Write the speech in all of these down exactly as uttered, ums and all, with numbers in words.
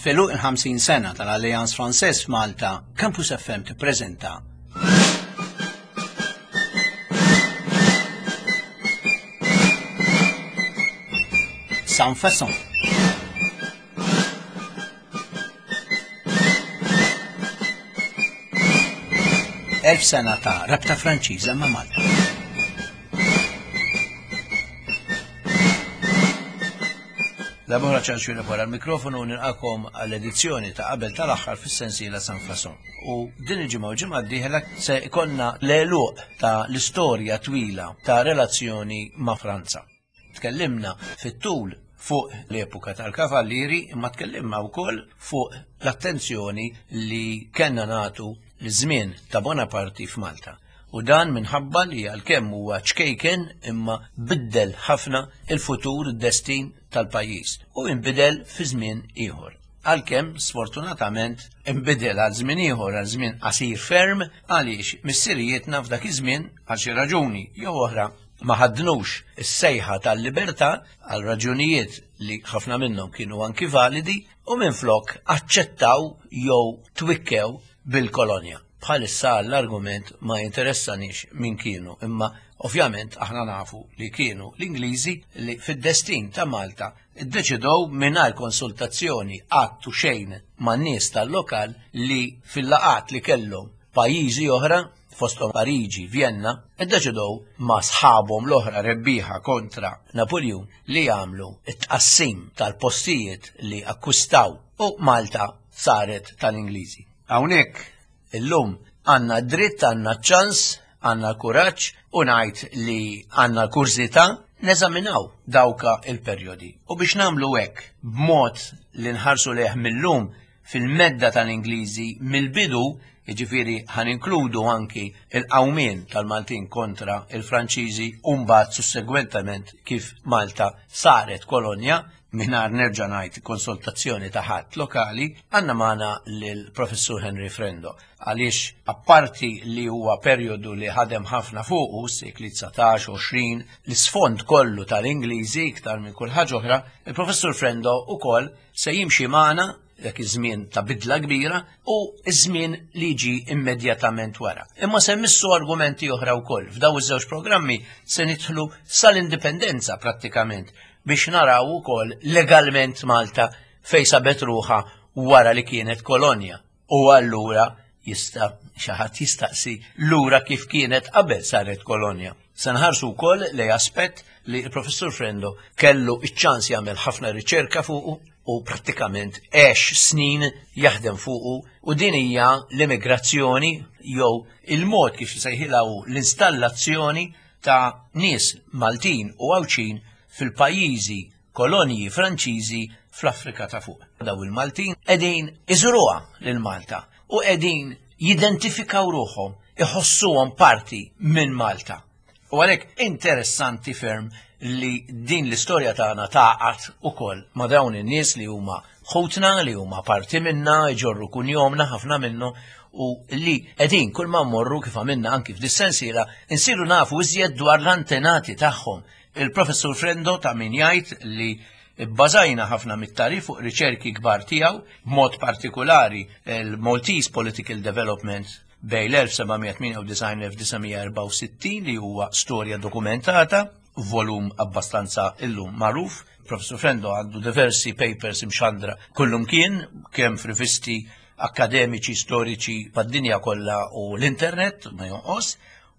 F'għeluq il-ħamsin sena tal-Alliance Française f'Malta, Campus F M tippreżenta Sans Façon. Elf sena ta' rabta Franċiża ma' Malta. Labora ċanxu wara l-mikrofonu, nilqakom għall-edizzjoni ta' qabel tal-aħħar fis-sensiela Sans Façon. U din il-ġimgħa u ġimgħa d-dieħla se jkollna l-għeluq ta' l-istorja twila ta' relazzjoni ma' Franza. Tkellimna fit-tul fuq l-epoka tal-kavallieri, imma tkellimna wkoll fuq l-attenzjoni li kellna nagħtu l-żmien ta' Bonaparte f'Malta. U dan minħabba li għalkemm huwa ċkejken imma biddel ħafna il-futur, id-destin tal-pajjiż u inbidel fi żmien ieħor. Għalkemm sfortunatament inbidel għal żmien ieħor, għal żmien qasir ferm, għaliex missirijietna f'dak iż-żmien għal xi raġuni jew oħra ma ħadnux is-sejħa tal-libertà għal raġunijiet li ħafna minnhom kienu anki validi u minflok aċċettaw jew twikkew bil-kolonja. Bħalissa l-argument ma jinteressanix min kienu, imma ovvjament aħna nafu li kienu l-Ingliżi li fid-destin ta' Malta iddeċidew mingħajr konsultazzjoni qatt u xejn man-nies tal-lokal li fil-laqat li kellhom pajjiżi oħra, fosthom Pariġi, Vienna, iddeċidew ma' sħabhom l-oħra rebbieħa kontra Napoleon li jagħmlu it-tqassim tal-postijiet li akkwistaw u Malta saret tal-Ingliżi. Hawnhekk illum għandna dritt, għandna ċans, għandna kuraġġ u ngħid li għandna kurżità neżaminaw dawka il-perjodi. U biex nagħmlu hekk b'mod li nħarsu leh mill-lum fil-medda tal-Ingliżi mill-bidu, jiġifieri ħan inkludu anki il-qawmien tal-Maltin kontra il-Franċiżi u mbagħad sussegwentament kif Malta saret kolonja, mingħajr nerġa' ngħid konsultazzjoni ta' ħadd lokali, għandna magħna lill-Professur Henry Frendo. Għaliex apparti li huwa perjodu li ħadem ħafna fuqu, sekli dsatax, għoxrin, l-isfond kollu tal-Ingliżi iktar minn kull ħaġa oħra, il-Professur Frendo ukoll se jimxi magħna dak iż-żmien ta' bidla kbira u iż-żmien li ġi immedjatament wara. Imma se missu argumenti oħra wkoll. F'daw iż-żewġ programmi se nidħlu sal-indipendenza prattikament biex naraw ukoll legalment Malta fejn sabet ruħha wara li kienet kolonja. U allura jista' xi ħadd jistaqsi lura kif kienet qabel saret kolonja. Se nħarsu wkoll lej aspett li l-Professur Frendo kellu iċ-ċans jagħmel ħafna riċerka fuqu u prattikament għex snin jaħdem fuqu, u din hija l-immigrazzjoni jew il-mod kif jsejħilha l-installazzjoni ta' nies Maltin u Għawdxin fil-pajjiżi kolonji Franċiżi fl-Afrika ta' fuq. Daw il-Maltin qegħdin iżuruha lil Malta u qegħdin jidentifikaw ruħhom, iħossuhom parti minn Malta. U għalhekk interessanti ferm li din l-istorja tagħna taqgħod ukoll ma' dawn in-nies li huma ħutna, li huma parti minna, jġorru kunjomna ħafna minnu, u li qegħdin kull ma mmorru kif għamilna anki f'dis-sensiela insiru nafu iżjed dwar l-antenati tagħhom. Il-Professur Frendo ta' min jgħid li bbażajna ħafna mit-tarif fuq riċerki kbar tiegħu, b'mod partikolari il-Maltese Political Development bejn l-elf seba' mija tmienja u disgħin u elf disa' mija erbgħa u sittin li huwa storja dokumentata, volum abbastanza illum magħruf. Professur Frendo għandu diversi papers imxandra kullum kien, kemm f'rivisti akademiċi, storiċi mad-dinja kollha u l-internet, ma jonqos.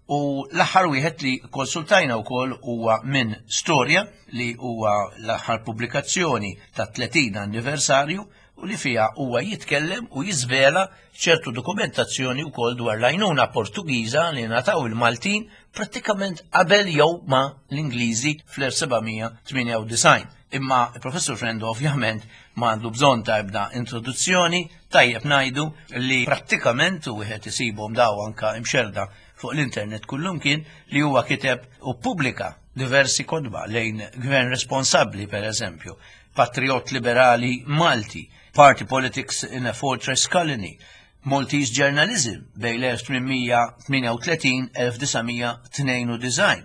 U l-aħħar wieħed li konsultajna wkoll huwa minn Storja, li huwa l-aħħar pubblikazzjoni ta' tletin anniversarju u li fiha huwa jitkellem u jiżvela ċertu dokumentazzjoni wkoll dwar l-għajnuna Portugiża li ngħataw il-Maltin prattikament qabel jew ma' l-Ingliżi fl-elf seba' mija tmienja u disgħin. Imma il-Professur Frendo ovvjament ma għandu bżonn ta' ebda introduzzjoni, tajjeb ngħidu li prattikament u wieħed isibhom daw anka imxerda fuq l-internet kullum kien li huwa kiteb u ppubblika diversi kotba lejn gvern responsabbli, per eżempju, Patriot Liberali Malti, Party Politics in a Fortress Colony, Maltese Journalism bejn l-elf tmien mija tmienja u tletin elf disa' mija tnejn u disgħin,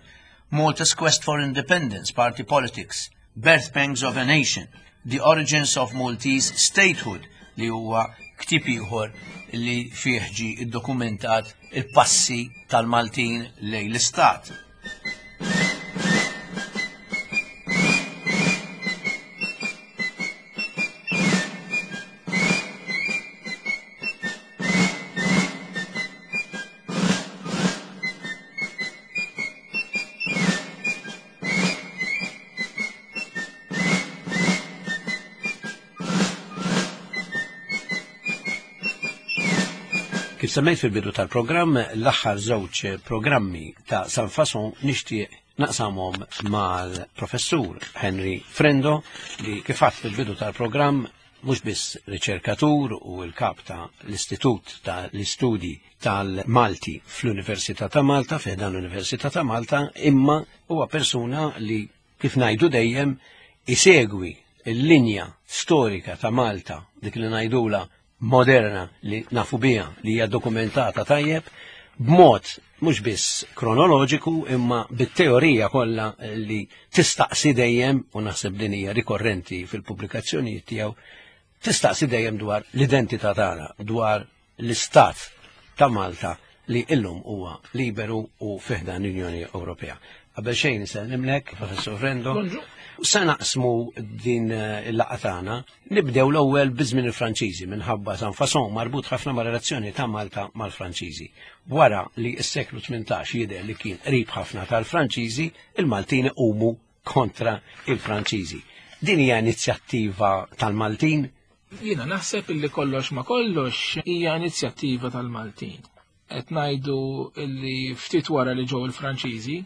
Malta's Quest for Independence, Party Politics, Birth Pangs of a Nation, The Origins of Maltese Statehood, li huwa ktieb ieħor li fih ġie iddokumentat il-passi tal-Maltin lejn l-Istat. Kif semmejt fil-bidu tal-programm, l-aħħar żewġ programmi ta' San Fason nixtieq naqsamhom mal-professur Henry Frendo, li kif għadt fil-bidu tal-programm mhux biss riċerkatur u l-kap ta' l-Istitut ta' l-Istudji tal-Malti fl-Università ta' Malta, fi ħdan l-Università ta' Malta, imma huwa persuna li kif ngħidu dejjem isegwi l-linja storika ta' Malta, dik li ngħidula moderna li nafu biha, li hija dokumentata tajjeb, b'mod mhux biss kronoloġiku imma bit-teorija kollha li tistaqsi dejjem, u naħseb din hija rikorrenti fil-pubblikazzjonijiet tiegħu, tistaqsi dejjem dwar l-identità tagħna, dwar l-istat ta' Malta li illum huwa liberu u fi ħdan l-Unjoni Ewropea. Qabel xejn insellimlek, Professur Frendo. Se naqsmu din il-laqgħa tagħna, nibdew l-ewwel biż-żmien il-Franċiżi minħabba San Fason marbut ħafna ma' relazzjoni ta' Malta mal-Franċiżi. Wara li s-seklu tmintax jidher li kien qrib ħafna tal-Franċiżi, il-Maltin iqumu kontra il-Franċiżi. Din hija inizjattiva tal-Maltin? Jiena naħseb illi kollox ma kollox hija inizjattiva tal-Maltin. Qed ngħidu illi ftit wara li ġew il-Franċiżi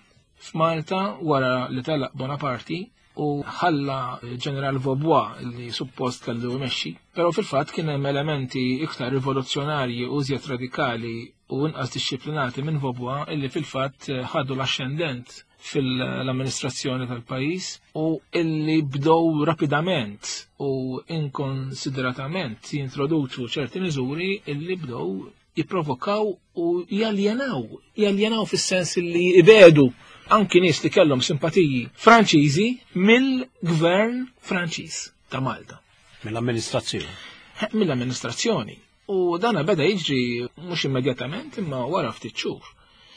f'Malta, wara li telaq Bonaparte u ħalla ġeneral Vaubois li suppost kellu jmexxi, però fil-fatt kien hemm elementi iktar rivoluzzjonarji u iżjed radikali u inqas dixxiplinati minn Vaubois illi fil-fatt ħadu l-ascendent fil-amministrazzjoni tal-pajjiż u illi bdew rapidament u inkonsideratament jintroduċu ċerti miżuri illi bdew jipprovokaw u jaljenaw, jaljenaw fis-sens illi ibedu anki nies li kellhom simpatiji Franċiżi mill-gvern Franċiż ta' Malta. Mill-amministrazzjoni. Mill-amministrazzjoni. U dana beda jiġri mhux immedjatament imma wara ftit xhur.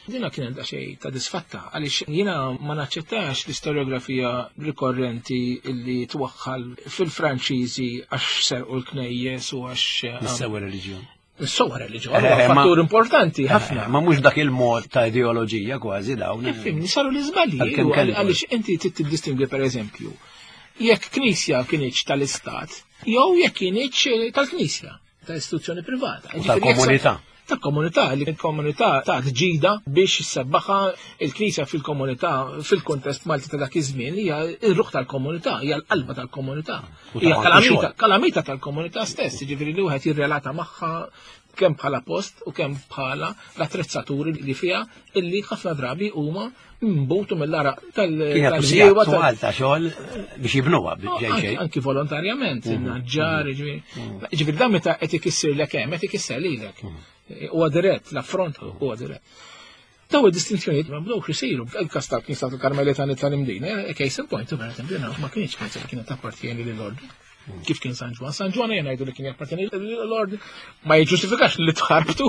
Dina kienet daqsxejn ta' disfatta għaliex jiena ma naċċettax l-istoriografija rikorrenti illi twaħħal fil-Franċiżi għax serqu l-knejjes u għax Nissew reliġjon. Nissew reliġjon, huwa fattur importanti ħafna. Ma mhux dak il-mod ta' ideoloġija kważi dawn. Fimni, saru l-iżbalji, għaliex inti trid tiddistingwi pereżempju jekk knisja kienx tal-Istat jew jekk kienx tal-Knisja, ta' istituzzjoni privata. Tal-komunità. Tal-komunità, li l-komunità ta' ġida biex issebbaħha il-Knisja fil-komunità, fil-kontest Malti ta' dak iż-żmien, hija r-ruħ tal-komunità, hija l-qalba tal-komunità. Hija kalamita, kalamita tal-komunità stess, jiġifieri li wieħed jirrelata magħha kemm bħala post u kemm bħala l-attrezzaturi li fiha illi ħafna drabi huma mbutu mill-araq tal-bdiewa ta' xogħol biex jibnuha ġej. Anki volontarjament, in-naġġar, jiġifieri dan meta qed ikissirlek hemm, qed ikisser lilek. Huwa dirett, l-affront huwa dirett. Daw id-distinzjonijiet ma bdewx isiru. Il-każ tal-Knisja tal-Karmelitani tal-Imdina, case in point, ma kienx knisja li kienet tappartjeni lill-ordni. Kif kien San Ġwann? San Ġwann jgħidu li kien jappartjeni l-ordni, ma jiġġustifikax li tħarbtu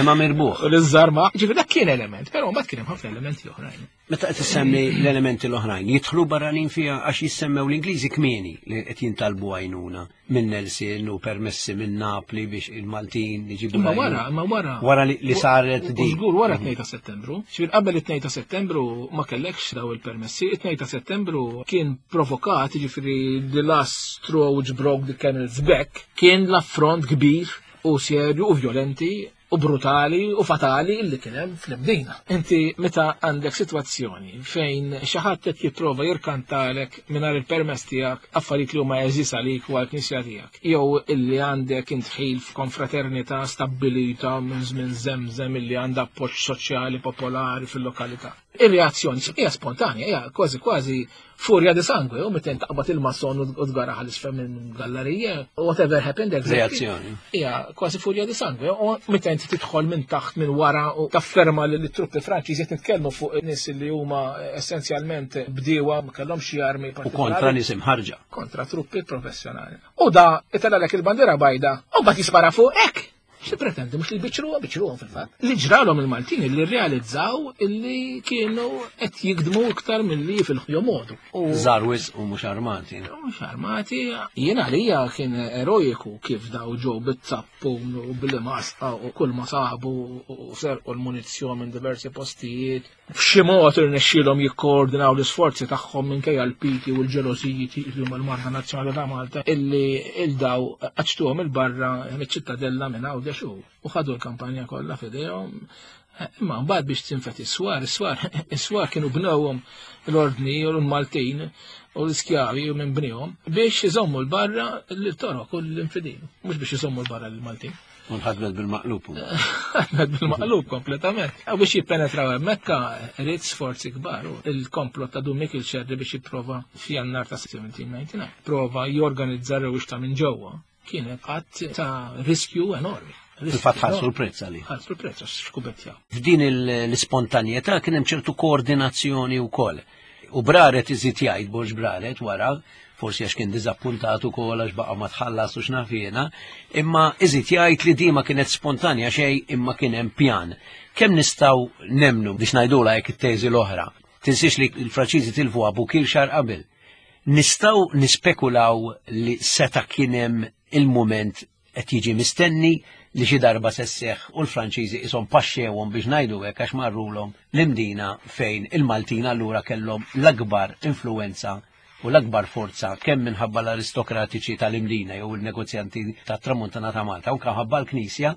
imma mirbuħ u li żarma. Ġifieri dak kien element, però mbagħad kien hemm ħafna elementi oħrajn. Meta qed issemmi l-elementi l-oħrajn, jidħlu barranin fiha għax jissemmew l-Ingliżi kmieni li qed jintalbu għajnuna minn Nelson u permessi minn Napli biex il-Maltin jiġibu. Imma wara, imma wara. Wara li saret di. Żgur wara tnejn ta' Settembru. Ġifieri qabel it-tnejn ta' Settembru ma kellekx daw il-permessi, it-tnejn ta' Settembru kien provokat, jiġifieri the last straw which broke the camel's back, kien l-affront kbir u serju u violenti u brutali u fatali illi kien hemm fl-Imdina. Inti meta għandek sitwazzjoni fejn xi ħadd qed jipprova jirkantalek mingħajr il-permess tiegħek affarijiet li huma għeżież għalik u għall-knisja tiegħek, jew illi għandek intħil f'konfraternità stabbilita minn żmien żemżem illi għandha appoġġ soċjali popolari fil-lokalità. Ir-reazzjoni hija spontanja, hija kważi kważi furia di sangue, u meta taqbad il-mason u tgaraha l-isfel minn gallerija, whatever happened exactly. Reazzjoni. Hija kważi furia di sangue, u meta inti tidħol minn taħt minn wara u tafferma li l-truppi Franċiżi qed nitkellmu fuq nies li huma essenzjalment bdiewa, ma kellhomx xi armi U kontra partikolari. nies imħarġa. Kontra truppi professjonali. U da itellgħalek il-bandiera bajda, u mbagħad jispara fuq hekk. Xi pretendi, mhux li biċċruha, biċċruhom fil-fatt. Li ġralhom il-Maltin li rrealizzaw illi kienu qed jikdmu iktar milli fil-jomodu. U Żgħar wisq u mhux armati. Mhux armati, jiena għalija kien eroiku kif daw ġew bit-zappun u bil-masqa u kull ma sabu u serqu l-munizzjon minn diversi postijiet. F'xi mod irnexxielhom jikkoordinaw l-isforzi tagħhom minkejja l-piki u l-ġelożiji li huma l-Marda Nazzjonali ta' Malta illi il-daw qaċtuhom il-barra miċ-ċittadella minn Għawdex u u ħadu l-kampanja kollha f'idejhom. Imma mbagħad biex tinfet is-swar, is-swar, is-swar kienu bnewhom l-ordni u l-Maltin u l-iskjavi u minn bnihom biex iżommu l-barra l-Torok u l-infidin, mhux biex iżommu l-barra l-Maltin. U nħadmet bil-maqlub. Ħadmet bil-maqlub kompletament. U biex jippenetraw hemmhekk irid sforzi kbar. U il-komplott ta' Dun Mikiel Xerri biex jipprova f'Jannar ta' seventeen ninety-nine. Prova jorganizza rewwixta minn ġewwa. Kienet qatt ta' riskju enormi. Fil-fatt ħallsu l-prezz għalih. Ħallsu l-prezz għax xkubettjaw. F'din il- l-ispontanjetà kien hemm ċertu koordinazzjoni wkoll. U Braret iżid jgħid, Borg Braret wara, forsi għax kien diżappuntat ukoll għax baqa' ma tħallas u x'naf jiena, imma iżid jgħid li di ma kienet spontanja xejn imma kien hemm pjan. Kemm nistgħu nemnu biex ngħidulha hekk it-teżi l-oħra? Tinsiex li l-Franċiżi tilfu Abukir xahar qabel. Nistgħu nispekulaw li seta' kien hemm il-mument qed jiġi mistenni li xi darba se sseħħ u l-Franċiżi ishom paxxewhom biex ngħidu hekk għax marrulhom l-Imdina fejn il-Maltin allura kellhom l-akbar influenza u l-akbar forza kemm minħabba l-aristokratiċi tal-Imdina jew il-negozjanti tat-Tramuntana ta' Malta u ħabba l-Knisja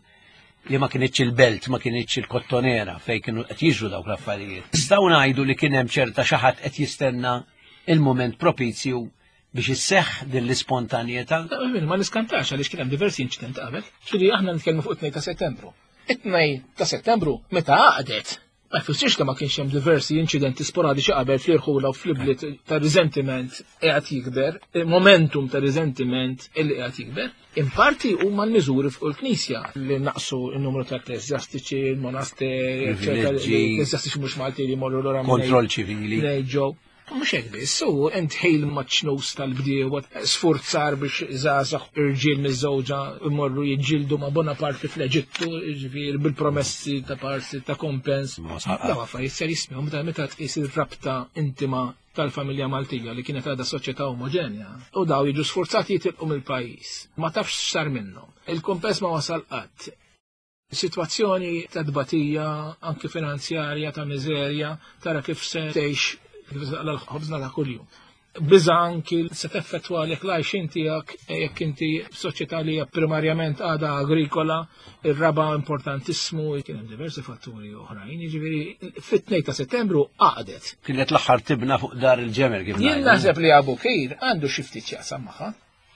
li ma kienitx il-belt, ma kienitx il-kottonera fejn kienu qed jiġru dawk l-affarijiet. Nistgħu ngħidu li kien hemm ċerta xi ħadd qed jistenna il-mument propizju biex isseħħ din l-ispontanjetà. Ma niskantax għaliex kien hemm diversi inċidenti qabel. Ġifieri aħna nitkellmu fuq it-tnejn ta' Settembru. It-tnejn ta' Settembru meta għaqdet, ma jfissirx li ma kienx hemm diversi inċidenti sporadiċi qabel fl-irħula u fl-ibliet ta' resentiment qiegħed jikber, momentum ta' resentiment illi qiegħed jikber. In parti huma l-miżuri fuq il-Knisja li naqsu n-numru ta' ekkleżjastiċi, il-monasteri, eċċetera, Privileġġi. ekkleżjastiċi mhux Malti li jmorru lura minn Kontroll ċivili. ġew. Mhux hekk biss, u entħil maċ-ċnus tal-bdiewa, sfurzar biex żgħażagħ irġiel miż-żewġa imorru jiġġieldu ma' Bonaparte fl-Eġittu, jiġifieri bil-promessi ta' parsi ta' kompens. Ma saqqa. Daw affarijiet serissimi, u meta meta tqis ir-rabta intima tal-familja Maltija li kienet għadha soċjetà omogenja. U daw jiġu sforzati jitilqu mill-pajjiż. Ma tafx x'sar minnhom. Il-kumpens ma wasal qatt. Situazzjoni ta' tbatija, anki finanzjarja, ta' miżerja, tara kif se tgħix, kif se taqla' l-ħobżna ta' kuljum. Biża anki se teffettwa għalek l-għajxien tiegħek jekk inti f'soċjetà li hija primarjament għadha agrikola, ir-raba importantissimu, kien hemm diversi fatturi oħrajn, jiġifieri fit-tnejn ta' Settembru għaqdet. Kienet l-aħħar tibna fuq dar il-ġemel kif Jien ngħidu. naħseb li Abu Kir għandu xi ftit x'jaqsam magħha,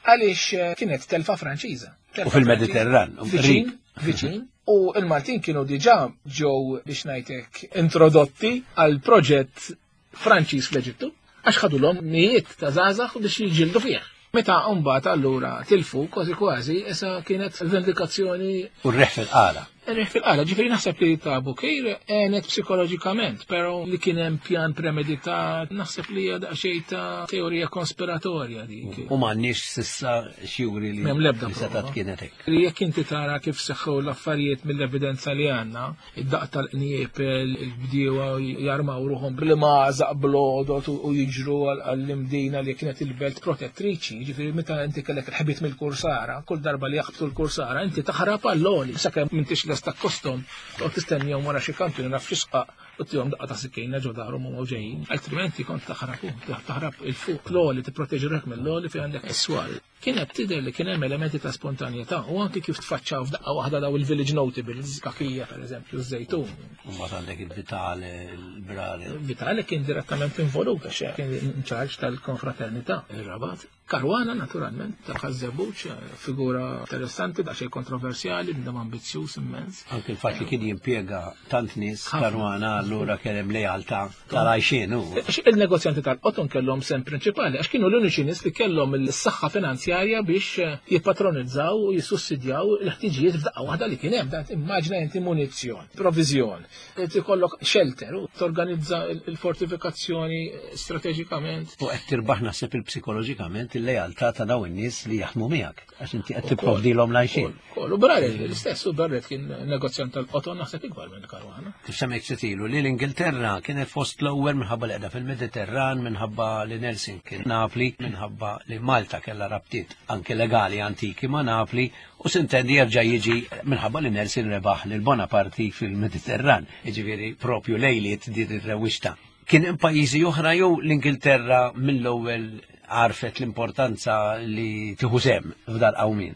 għaliex eh, kienet telfa Franċiża. Telfa U fil-Mediterran, Franċiża. Viċin, viċin. U il-Maltin kienu diġà ġew biex ngħidlek introdotti għal proġett Franċiż fl-Eġittu, għax ħadulhom mijiet ta' żgħażagħ biex jiġġieldu fih. Meta mbagħad allura tilfu kważi kważi issa kienet vendikazzjoni. U r-riħ fil-qala. Riħ fil-qala, ġifieri naħseb li ta' Abu Kir għenet psikoloġikament, però li kien hemm pjan premeditat, naħseb li hija daqsxejn ta' teorija konspiratorja dik. U m'għandniex s'issa xjuri li M'hemm l-ebda li setat prova. kienet hekk. Li jekk inti tara kif seħħu l-affarijiet mill-evidenza li għandna, id-daq tal-qniepel, il-bdiewa jarmaw ruħhom bl-imgħażaq bl-għodod u jiġru għall-Imdina li kienet il-belt protettriċi, ġifieri meta inti kellek il-ħbit mill-kursara, kull darba li jaħbtu l-kursara, inti taħrab għall-għoli, sakemm m'intix lesta kostom, u tistennihom wara xi kantun naf xi sqaq u tihom daqqa ta' sikkina ġo darhom u ġejjin. Altrimenti kont taħrab, taħrab il-fuq l-għoli, tipproteġi ruħek mill-għoli fejn għandek is-swar. Kienet tidher li kien hemm elementi ta' spontanjetà u anki kif tfaċċaw f'daqqa waħda daw il-village notables, Kakija per eżempju, Żejtun. U mbagħad għandek il-Vitale, il-Brare. Vitale kien direttament involut għax kien in charge tal-konfraternità, ir-Rabat. Caruana, naturalment, ta' Ħaż-Żebbuġ, figura interessanti, daqsxejn kontroversjali, bniedem ambizzjuż immens. Anke il-fatt li kien jimpjega tant nies Caruana, allura kien hemm lealtà tal-għajxien hu. Għax il-negozjanti tal-qoton kellhom sem prinċipali, għax kienu l-uniċi nies li kellhom il-saħħa finanzjarja biex jippatronizzaw u jissussidjaw l-ħtiġijiet f'daqqa waħda li kien hemm. Dan immaġina inti munizzjon, provizjon, ikollok shelter u torganizza il-fortifikazzjoni strateġikament. U qed tirbaħ naħseb il-psikoloġikament il-lealtà ta' dawn in-nies li jaħdmu miegħek, għax inti qed tipprovdilhom l-għajxien. U Barrett l-istess, u Barrett kien negozjant tal-qoton naħseb ikbar minn Caruana. Kif semmejt setilu li l-Ingilterra kienet fost l-ewwel minħabba li qiegħda fil-Mediterran, minħabba li Nelson kien Napli, minħabba li Malta kellha rabtiet anke legali antiki ma' Napli, u sintendi jerġa' jiġi minħabba li Nelson rebaħ lil Bonaparte fil-Mediterran, jiġifieri propju lejliet din ir-rewwixta. Kien hemm pajjiżi oħra jew l-Ingilterra mill-ewwel għarfet l-importanza li tieħu sehem f'dal qawmien?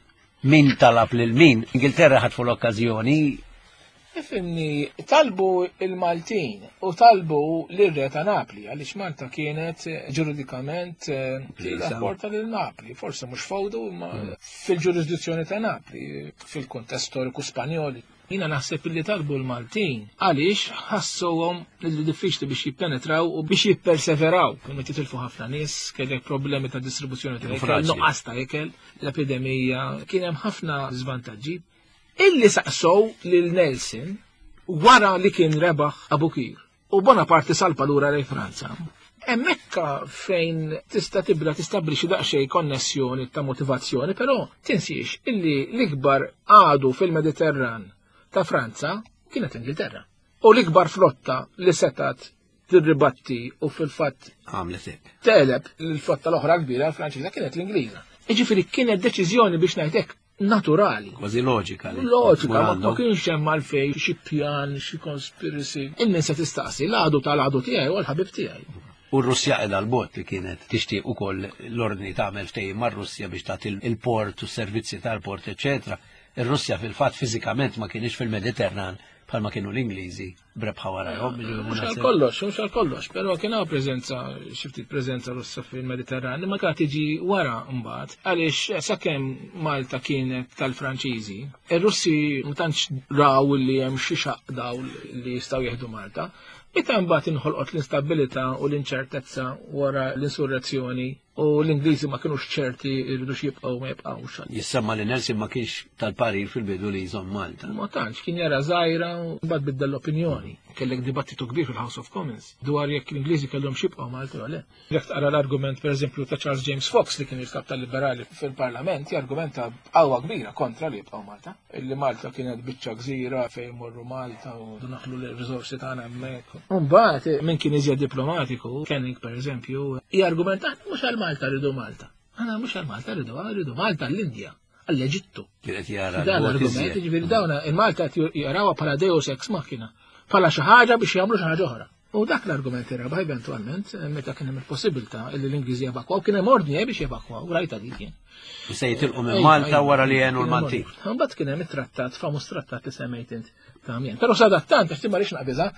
Min talab lil min? Ingilterra ħatfu l-okkażjoni. Ifimni, talbu il-Maltin u talbu l-re ta' Napli, għaliex Malta kienet ġuridikament rapporta lil Napli, forse mhux fawdu, ma fil-ġurisdizzjoni ta' Napli, fil-kuntest storiku Spanjoli. Jina naħseb li talbu l-Maltin għaliex ħassuhom li diffiċli biex jippenetraw u biex jipperseveraw. Kienu titilfu ħafna nies, kellek problemi ta' distribuzzjoni ta' ikel, nuqqas ta' ikel, l-epidemija, kien hemm ħafna żvantaġġi. Illi saqsow lil Nelson wara li kien rebaħ Abukir u Bonaparte salpa lura lejn Franza. Hemmhekk fejn tista' tibda tistabbilixxi daqsxejn konnessjoni ta' motivazzjoni, però tinsiex illi l-ikbar għadu fil-Mediterran ta' Franza kienet Ingilterra. U l-ikbar flotta li setat tirribatti u fil-fatt għamlet hekk. Teleb l-flotta l-oħra kbira Franċiża kienet l-Ingliża. Jiġifieri kienet deċiżjoni biex ngħidlek naturali. Kważi loġika. Loġika, ma kienx hemm għalfejn xi pjan, xi conspiracy. Il-min se tistaqsi l-għadu tal-għadu tiegħi u l-ħabib tiegħi. U r-Russja qiegħda l-bot li kienet tixtieq ukoll l-ordni tagħmel ftehim mar-Russja biex tagħti il-port u s-servizzi tal-port, eċetera. Ir-Russja fil-fatt fiżikament ma kienx fil-Mediterran bħalma kienu l-Ingliżi brebħa warajhom. Mhux għal kollox, mhux għal kollox, però kien hawn preżenza, xi ftit preżenza Russa fil-Mediterran, imma kienet tiġi wara mbagħad għaliex sakemm Malta kienet tal-Franċiżi, ir-Russi ma tantx raw li hemm xi xaq daw li jistgħu jieħdu Malta. Meta mbagħad inħolqot l-instabilità u l-inċertezza wara l-insurrezzjoni u l-Ingliżi ma kinux ċerti jridux jibqgħu ma jibqgħux. Jissemma li Nelson ma kienx tal-parir fil-bidu li jżomm Malta. Ma tantx kien jara żgħira u mbagħad biddel l-opinjoni. Kellek dibattitu kbir fil-House of Commons dwar jekk l-Ingliżi kellhom jibqgħu Malta jew le. Jekk tqara l-argument pereżempju ta' Charles James Fox li kien il-kap tal-Liberali fil-Parlament, jargumenta b'qawwa kbira kontra li jibqgħu Malta. Illi Malta kienet biċċa gżira fejn morru Malta u naħlu l-riżorsi tagħna hemmhekk. U mbagħad min kien iżjed diplomatiku, Canning pereżempju, jargumenta mhux għal Malta rridu Malta. Aħna mhux għal Malta rridu, rridu Malta l-Indja, għall-Eġittu. Kienet jara Dan l-argument, jiġifieri dawn il-Malta qed jarawha bħala deus ex machina, bħala xi ħaġa biex jagħmlu xi ħaġa oħra. U dak l-argument irrabaħ eventwalment meta kien hemm il-possibilità li l-Ingliżi jevakwaw, kien hemm ordni biex jevakwaw, rajta dik kien. Se jitilqu minn Malta wara li għenu l-Maltin. Mbagħad kien hemm it-trattat, famuż trattat li semmejt int ta' Amiens. Però sadattant, għax ma rridx naqbiżha,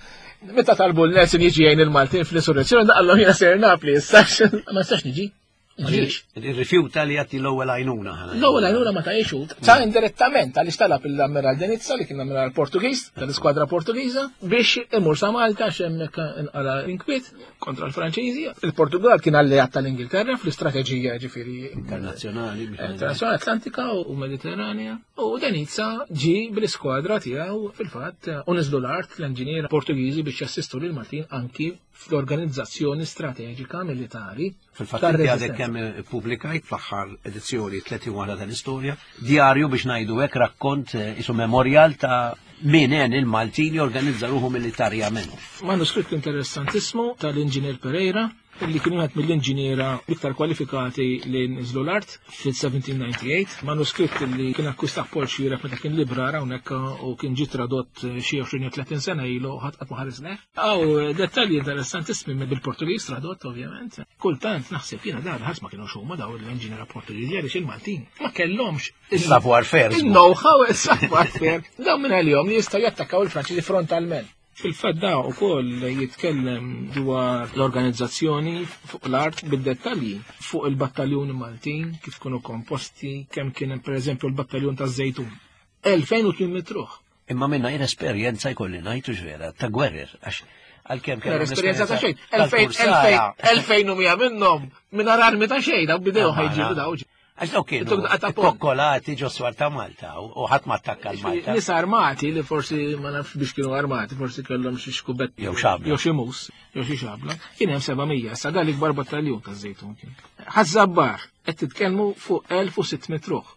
meta talbu l-Nelson jiġi jgħin il-Maltin fl-insurrezzjoni, daqallhom jiena ser Napli issa, ma nistax niġi. Irrifjuta li jagħti l-ewwel għajnuna. L-ewwel għajnuna ma tgħixu. Ta' indirettament għaliex talab l-Ammiral Denizza li kien l-Ammiral Portugiż tal-iskwadra Portugiża biex imur sa Malta għax hemmhekk inqala l-inkwiet kontra l-Franċiżi. Il-Portugal kien alleat tal-Ingilterra fl-istrateġija ġifieri internazzjonali, internazzjonali Atlantika u Mediterranea. U Denizza ġie bl-iskwadra tiegħu fil-fatt u niżlu l-art l-inġiniera Portugiżi biex jassistu lil Maltin anki fl-organizzazzjoni strateġika militari. Fil-fatt inti għadek kemm ippubblikajt fl-aħħar edizzjoni tletin waħda tal-istorja, djarju biex ngħidu hekk rakkont isu memorial ta' min għen il-Maltin jorganizza ruħu militarjament. Manuskritt interessantissmu tal-Inġinier Pereira, li kien wieħed mill-inġiniera l-iktar kwalifikati li niżlu l-art fil-seventeen ninety-eight, manuskritt li kien akkwista Paul Xiref meta kien librar hawnhekk u kien ġie tradott xi għoxrin jew tletin sena ilu ħadd qatt ma ħares leh. Aw dettalji interessantissimi bil-Portugiż tradott ovvjament. Kultant naħseb jiena dar ħadd ma kienux huma daw l-inġiniera Portugiżi għaliex il-Maltin ma kellhomx il-savoir faire. Il-know-how, il-savoir faire. Dawn minn għalihom li jistgħu jattakkaw il-Franċiżi frontalment. Fil-fatt da wkoll jitkellem dwar l-organizzazzjoni fuq l-art bid-dettalji fuq il-battaljuni Maltin, kif kienu komposti, kemm kien hemm pereżempju l-battaljun taż-Żejtun. elfejn u tmien mitt ruħ. Imma minna jien esperjenza jkolli ngħidu x'vera ta' gwerrer, għax għalkemm kellhom Esperjenza ta' xejn. Elfejn u mija minnhom mingħajr armi ta' xejn, daw bidew ħajġibu daw. Għax daw kienu kokkolati ġo swar ta' Malta u ħadd ma attakka l-Malta. Nies armati li forsi ma nafx biex kienu armati, forsi kellhom xi xkubett jew xabla. Jew xi mus, jew xi xabla. Kien hemm seba' mija, sa dan l-ikbar battaljun taż-Żejtun kien. Ħaż-Żabbar qed titkellmu fuq elf u sitt mitt ruħ.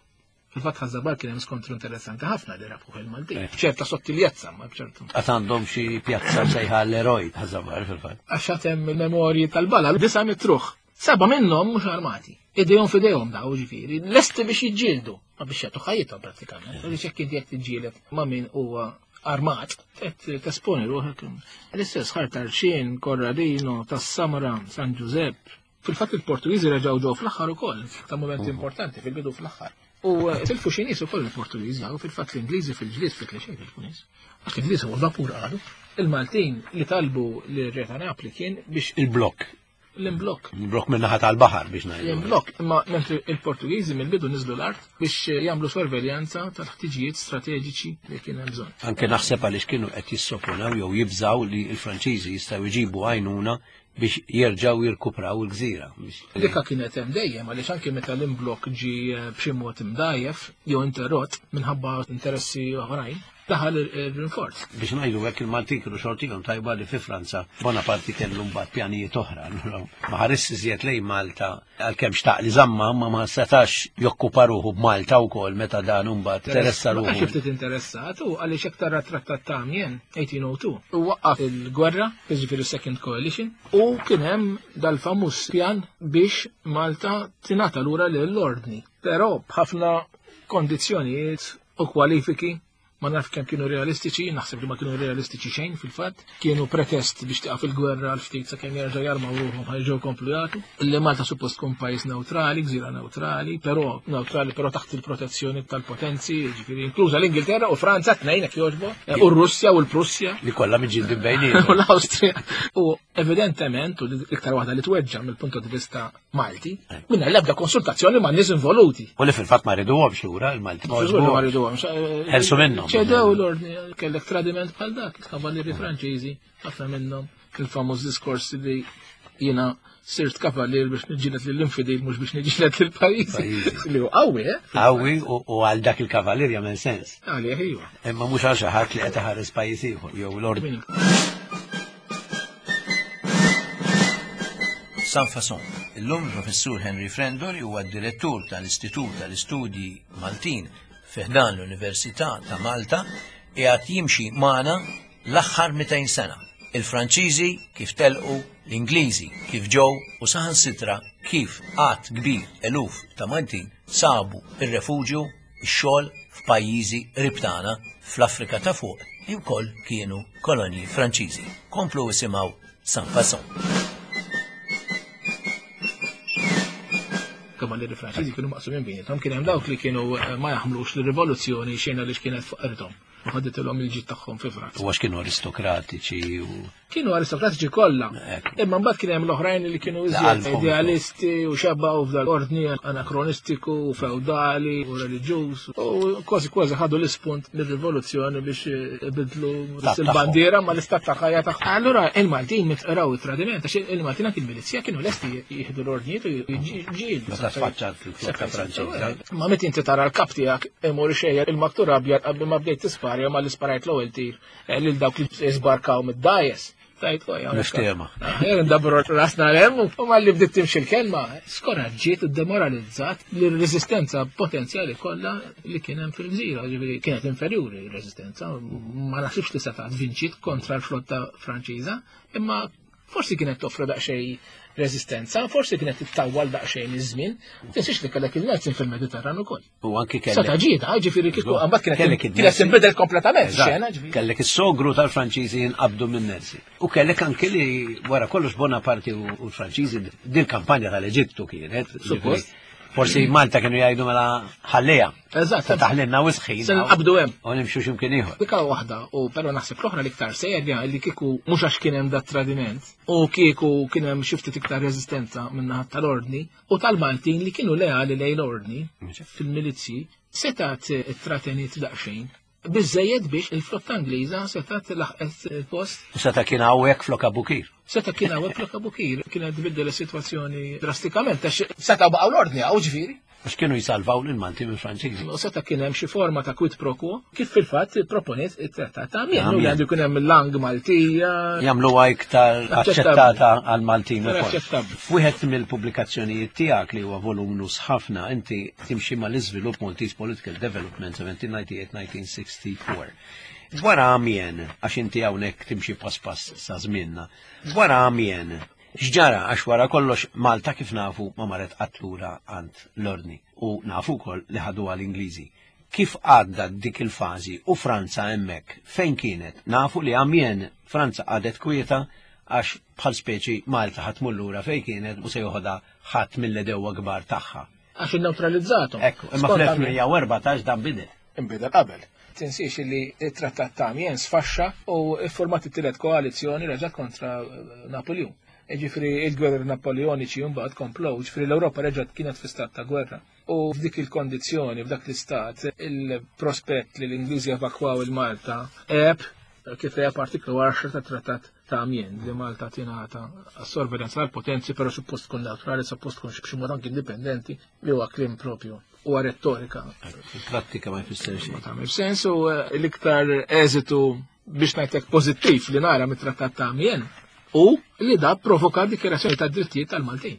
Fil-fatt Ħaż-Żabbar kien hemm skontru interessanti ħafna li rabħuh il-Maltin. B'ċerta sottiljezza, ma b'ċertu. Għad għandhom xi pjazza msejħa l-eroj Ħaż-Żabbar fil-fatt. Għax għad hemm il-memorji tal-bala, disa' mitt ruħ. Seba' minnhom mhux armati. Idejhom f'idejhom daw ġifieri, lesti biex jiġġieldu, ma biex jagħtu ħajjithom prattikament. Għaliex jekk inti qed tiġġieled ma' min huwa armat, qed tesponi ruħek. L-istess Ħar Tarxien, Corradino, tas-Samra, San Giuseppe. Fil-fatt il-Portugiżi reġgħu ġew fl-aħħar ukoll, ta' moment importanti fil-bidu fl-aħħar. U tilfu xi nies ukoll il-Portugiżi, u fil-fatt l-Ingliżi fil-ġlied fit li xejn tilfu nies. Għax l-Ingliżi huwa vapur qalu. Il-Maltin li talbu lir-Re ta' Napli kien biex il-blokk. L-imblokk. L-imblokk minn naħa tal-baħar biex ngħidu. L-imblokk, imma mentri il-Portugiżi mill-bidu niżlu l-art biex jagħmlu sorveljanza tal-ħtiġijiet strateġiċi li kien hemm bżonn. Anke naħseb għaliex kienu qed jissoponaw jew jibżaw li l-Franċiżi jistgħu jġibu għajnuna biex jerġgħu jirkupraw il-gżira. Dikka kienet hemm dejjem għaliex anke meta l-imblokk ġie b'xi mod imdajjef jew interrott minħabba interessi oħrajn, daħal il-rinforz. Biex ngħidu hekk il-Maltin kienu xortihom tajba li fi Franza Bonaparte kellu mbagħad pjanijiet oħra. Ma ħares iżjed lejn Malta għalkemm xtaq li żamma ma ma setax jokkupa ruħu b'Malta wkoll meta dan imbagħad interessa ruħu. Ma kienx ftit interessat u għaliex hekk tara trattat ta' Amiens eighteen oh two u waqqaf il-gwerra, jiġifieri Second Coalition, u kien hemm dal-famuż pjan biex Malta tingħata lura lill-ordni. Però b'ħafna kondizzjonijiet u kwalifiki ma naf kemm kienu realistiċi, naħseb li ma kienu realistiċi xejn fil-fatt, kienu pretest biex tieqaf il-gwerra għal ftit sakemm jerġgħu jarmaw ruħhom ħajġew komplu jagħtu. Li Malta suppost tkun pajjiż neutrali, gżira neutrali, però neutrali però taħt il-protezzjoni tal-potenzi, jiġifieri inkluża l-Ingilterra u Franza tnejn hekk jogħġbu, u r-Russja u l-Prussja. Li kollha miġġieldi bejniethom. U l-Awstrija. U evidentement, u l-iktar waħda li tweġġa' mill-punt di vista Malti, mingħajr l-ebda konsultazzjoni ma' nies involuti. U li fil-fatt ma riduhomx lura il-Malti. Ma riduhomx. Ħelsu minnhom. Ċedew l-ordni, kellek tradiment bħal dak, il-kavallieri Franċiżi, ħafna minnhom, il-famuż diskors li jiena sirt kavallier biex niġġieled lill-infidil mhux biex niġġieled lill-pajjiżi. Li hu qawwi, eh? Qawwi u għal dak il-kavallier jagħmel sens. Għalih iva. Imma mhux għal xi ħadd li qed iħares pajjiż ieħor jew l-ordni. Sans Façon. Illum il-Professur Henry Frendoli huwa d-direttur tal-Istitut tal-Istudji Maltin fi ħdan l-Università ta' Malta qiegħed jimxi magħna l-aħħar mitejn sena. Il-Franċiżi kif telqu, l-Ingliżi kif ġew u saħansitra kif għadd kbir eluf ta' Maltin sabu ir-refuġju, ix-xogħol f'pajjiżi qrib tagħna fl-Afrika ta' fuq li wkoll kienu kolonji Franċiżi. Komplu isimgħu Sans Façon. Kavallieri Franċiżi kienu maqsumin bejniethom, kien hemm dawk li kienu ma jaħmlux l-rivoluzzjoni xejn għaliex kienet fuq u ħaditilhom il-ġid tagħhom fi Franza. U għax kienu aristokratiċi u kienu aristokratiċi kollha. Imma mbagħad kien hemm l-oħrajn li kienu iżjed idealisti u xebgħu f'dal-ordni anakronistiku u feudali u reliġjuż u kważi kważi ħadu l-ispunt mir-rivoluzzjoni biex ibidlu il-bandiera ma l-istat ta' ħajja tagħhom. Allura il-Maltin mitqraw it-tradiment għax il-Maltin anki l-milizja kienu lesti jieħdu l-ordnijiet u jiġġieldu. Meta tfaċċat il-flotta Franċiża. Ma meta inti tara l-kap tiegħek imur ixejjer il-maktur abjad qabel ma bdejt tisparja ma l-isparajt l-ewwel tir lil dawk li żbarkaw mid-dajes. Tajt, Niftehma. Ndabru rasna l-hemm u malli bdiet timxi l-kelma, skoraġġiet u demoralizzat l-reżistenza potenzjali kollha li kien hemm fil-gżira, ġifieri kienet inferjuri r-reżistenza, ma naħsibx li setgħet vinċiet kontra l-flotta Franċiża, imma forsi kienet toffri daqsxejn reżistenza, forsi kienet tittawwal daqsxejn iż-żmien, tinsiex li kellek il-Nelson fil-Mediterran ukoll. U anki kellek. Seta' ġieda, ġifieri kieku mbagħad kienet kienet tinbidel kompletament xena, ġifieri. Kellek is-sogru tal-Franċiżi jinqabdu minn Nelson. U kellek anki li wara kollox Bonaparte u l-Franċiżi din kampanja tal-Eġittu kienet. Suppost. Forsi Malta kienu jgħidu mela ħallija. Eżatt. Se taħlinna wisħin. Se nqabdu hemm. U nimxu x'imkien ieħor. Dika waħda, u però naħseb l-oħra l-iktar serja li kieku mhux għax kien hemm dat tradiment u kieku kien hemm xi ftit iktar reżistenza min-naħa tal-ordni u tal-Maltin li kienu leali lejn l-ordni fil-milizji setat trateniet daqsxejn. Biżejjed biex il-flotta Ingliża setat laħqet il-post. U seta kien hawnhekk flok Abukir. Seta kien hawnhekk flok Abukir, kienet tbiddel is-sitwazzjoni drastikament għax seta baqgħu l-ordni hawn ġifieri. Għax kienu jisalvaw lil-Malti minn Franċiżi. U seta kien hemm xi forma ta' quid pro quo, kif fil-fatt proponiet it-trattat ta' Amiens, li għandu jkun hemm il-lang Maltija. Jagħmluha iktar aċċettata għall-Maltin ukoll. Aċċettabbli. F'wieħed mill-pubblikazzjonijiet tiegħek li huwa volumnus ħafna, inti timxi mal-iżvilupp Maltese Political Development seventeen ninety-eight nineteen sixty-four. Dwar Amiens, għax inti hawnhekk timxi pass pass sa żmienna. Dwar Amiens, x'ġara għax wara kollox Malta kif nafu ma marret qatt lura għand l-ordni u nafu wkoll li ħaduha l-Ingliżi. Kif għadda dik il-fażi u Franza hemmhekk fejn kienet? Nafu li Amiens Franza għadet kwieta għax bħal speċi Malta ħadd tmur lura fejn kienet u se joħodha ħadd mill-edewwa kbar tagħha. Għax inneutralizzathom. Ekku, imma Skont fl-elf Amiens. mija u erbatax dan bidel. Inbidel qabel. Tinsiex li t-trattat ta' Amiens sfaxxa u format it-tielet koalizzjoni reġgħet kontra Napoleon. Ġifieri il-gwerra Napoleoniċi mbagħad komplow, ġifieri l-Ewropa reġgħet kienet fi stat ta' gwerra. U f'dik il-kondizzjoni, f'dak l-istat, il-prospett li l-Ingliżi evakwaw il-Malta għeb kif għeb artiklu għaxra ta' trattat ta' Amiens li Malta tingħata għas-sorveljanza tal-potenzi, però suppost tkun neutrali, suppost tkun b'xi mod anki indipendenti, li huwa kliem propju. Huwa rettorika. Fil-prattika ma jfisser xejn. Ma tagħmel sens u l-iktar eżitu biex ngħidlek pożittiv li nara mit-trattat ta' Amiens u li da provoka dikjerazzjoni ta' drittijiet tal-Maltin.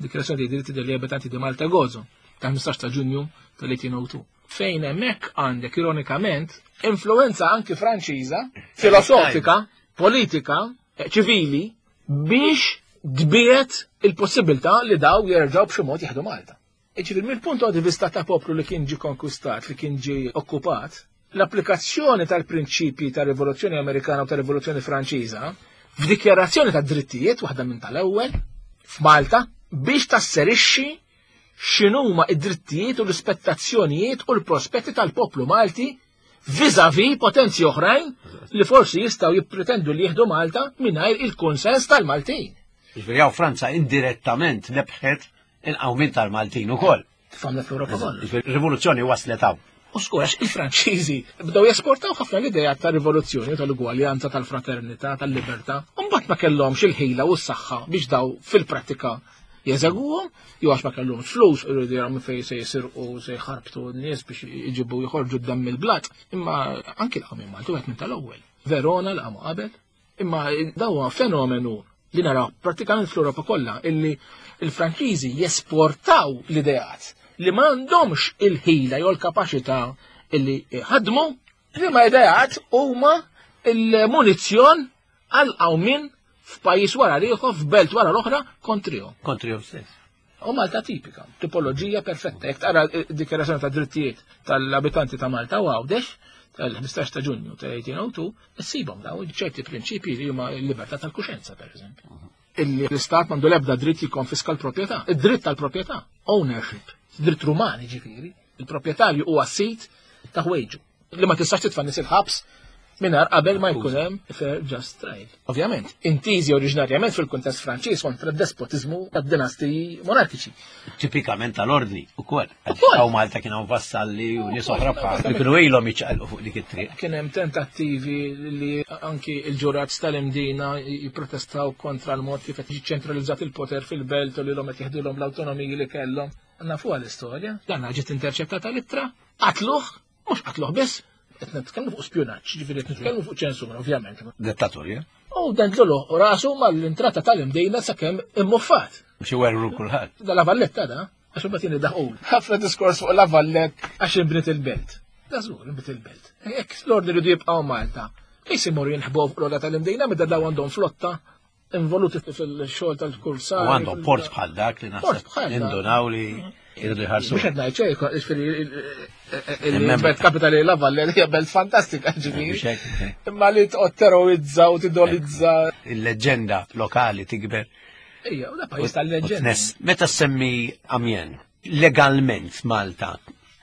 Dikjerazzjoni ta' diritti degli abitanti di Malta Gozo ta' ħmistax ta' Ġunju tal-eighteen oh two. Fejn hemmhekk għandek ironikament influenza anki Franċiża, filosofika, politika, ċivili biex tbiet il-possibilità li daw jerġgħu b'xi mod jieħdu Malta. Ġifieri mill-punt di vista ta' poplu li kien ġi konkwistat, li kien ġi okkupat, l-applikazzjoni tal-prinċipji tar-Rivoluzzjoni Amerikana u tar-Rivoluzzjoni Franċiża f'dikjarazzjoni ta' drittijiet waħda minn tal-ewwel f'Malta biex tasserixxi x'inhuma id-drittijiet u l-ispettazzjonijiet u l-prospetti tal-poplu Malti vis-à-vis potenzi oħrajn li forsi jistgħu jippretendu li jieħdu Malta mingħajr il-konsens tal-Maltin. Ġifieri hawn Franza indirettament lebħet il-qawmien tal-Maltin ukoll. Tifhamna fl-Ewropa kollha. Ġifieri rivoluzzjoni waslet hawn. U skur, għax il-Franċiżi bdew jesportaw ħafna l-idea tal-rivoluzzjoni, tal-ugwaljanza, tal-fraternità, tal-libertà. U mbagħad ma kellhomx il-ħila u s-saħħa biex daw fil-prattika jeżegwuhom, jew għax ma kellhomx flus, iridu jaraw minn fejn se jisirqu, se jħarbtu n-nies biex jġibu jħorġu d-demm mill-blat. Imma anki l-qawmien Malti wieħed minn tal-ewwel. Verona l-qamu qabel. Imma daw fenomenu li naraw prattikament fl-Ewropa kollha, illi il-Franċiżi jesportaw l-ideat li m'għandhomx il-ħila jew l-kapaċità illi ħadmu, li ma ideat huma il-munizzjon għal qawmien f'pajjiż wara l-ieħor, f'belt wara l-oħra kontrihom. Kontrihom stess. U Malta tipika, tipoloġija perfetta. Jekk tara dikjarazzjoni ta' drittijiet tal-abitanti ta' Malta u Għawdex tal-ħmistax ta' Ġunju ta' eighteen oh two, issibhom daw ċerti prinċipji li huma l-libertà tal-kuxenza, per eżempju. Illi l-Istat m'għandu l-ebda dritt jikkonfiska l-proprjetà, id-dritt tal-proprjetà, ownership, dritt rumani ġifieri, il-proprjetarju huwa sit ta' ħwejġu li ma tistax titfa' nies il-ħabs mingħajr qabel ma jkun hemm fair just trial. Ovvjament, intiżi oriġinarjament fil-kuntest Franċiż kontra d-despotiżmu tad-dinastiji monarkiċi. Tipikament tal-ordni ukoll. Ukoll. Hawn Malta kien hawn vassalli u nies oħra bħal li kienu ilhom jiċċaqalqu fuq dik it-triq. Kien hemm tentattivi li anki l-ġurat tal-Imdina jipprotestaw kontra l-mod kif qed jiċċentralizzat il-poter fil-belt u li l-hom qed jeħdulhom l-awtonomiji li kellhom. Nafuha l-istorja. Dan ġiet interċettata l-ittra, qatluh, mhux qatluh biss, qed nitkellmu fuq spjunaġġ, ġifieri qed nitkellmu fuq ċensura, ovvjament. Dittatorja. U dendlulu rasu mal-intrata tal-Imdina sakemm immuffat. Biex iwerru kulħadd. Da La Valletta da, għax imbagħad jien iddaħqul. Ħafna diskors fuq La Valletta għax inbniet il-belt. Da żgur inbniet il-belt. Jekk l-ordni rridu jibqgħu Malta, fejn se jmorru jinħbu fuq l-għola tal-Imdina meta daw għandhom flotta involuti fil-xogħol tal-kursar. U għandhom port bħal dak li Port naħseb bħal dak. indunaw li jridu jħarsu. Mhux qed ngħid xejn, jiġifieri, il-, il-, Imma il-belt kapitali La Valle hija belt fantastika, ġifieri. Mhux hekk, hekk. Imma li toqgħod terrorizza u tidolizza. Il-leġenda lokali tikber. Ejja, u da pajjiż tal-leġenda. Tness. Meta semmi Amiens, Legalment Malta,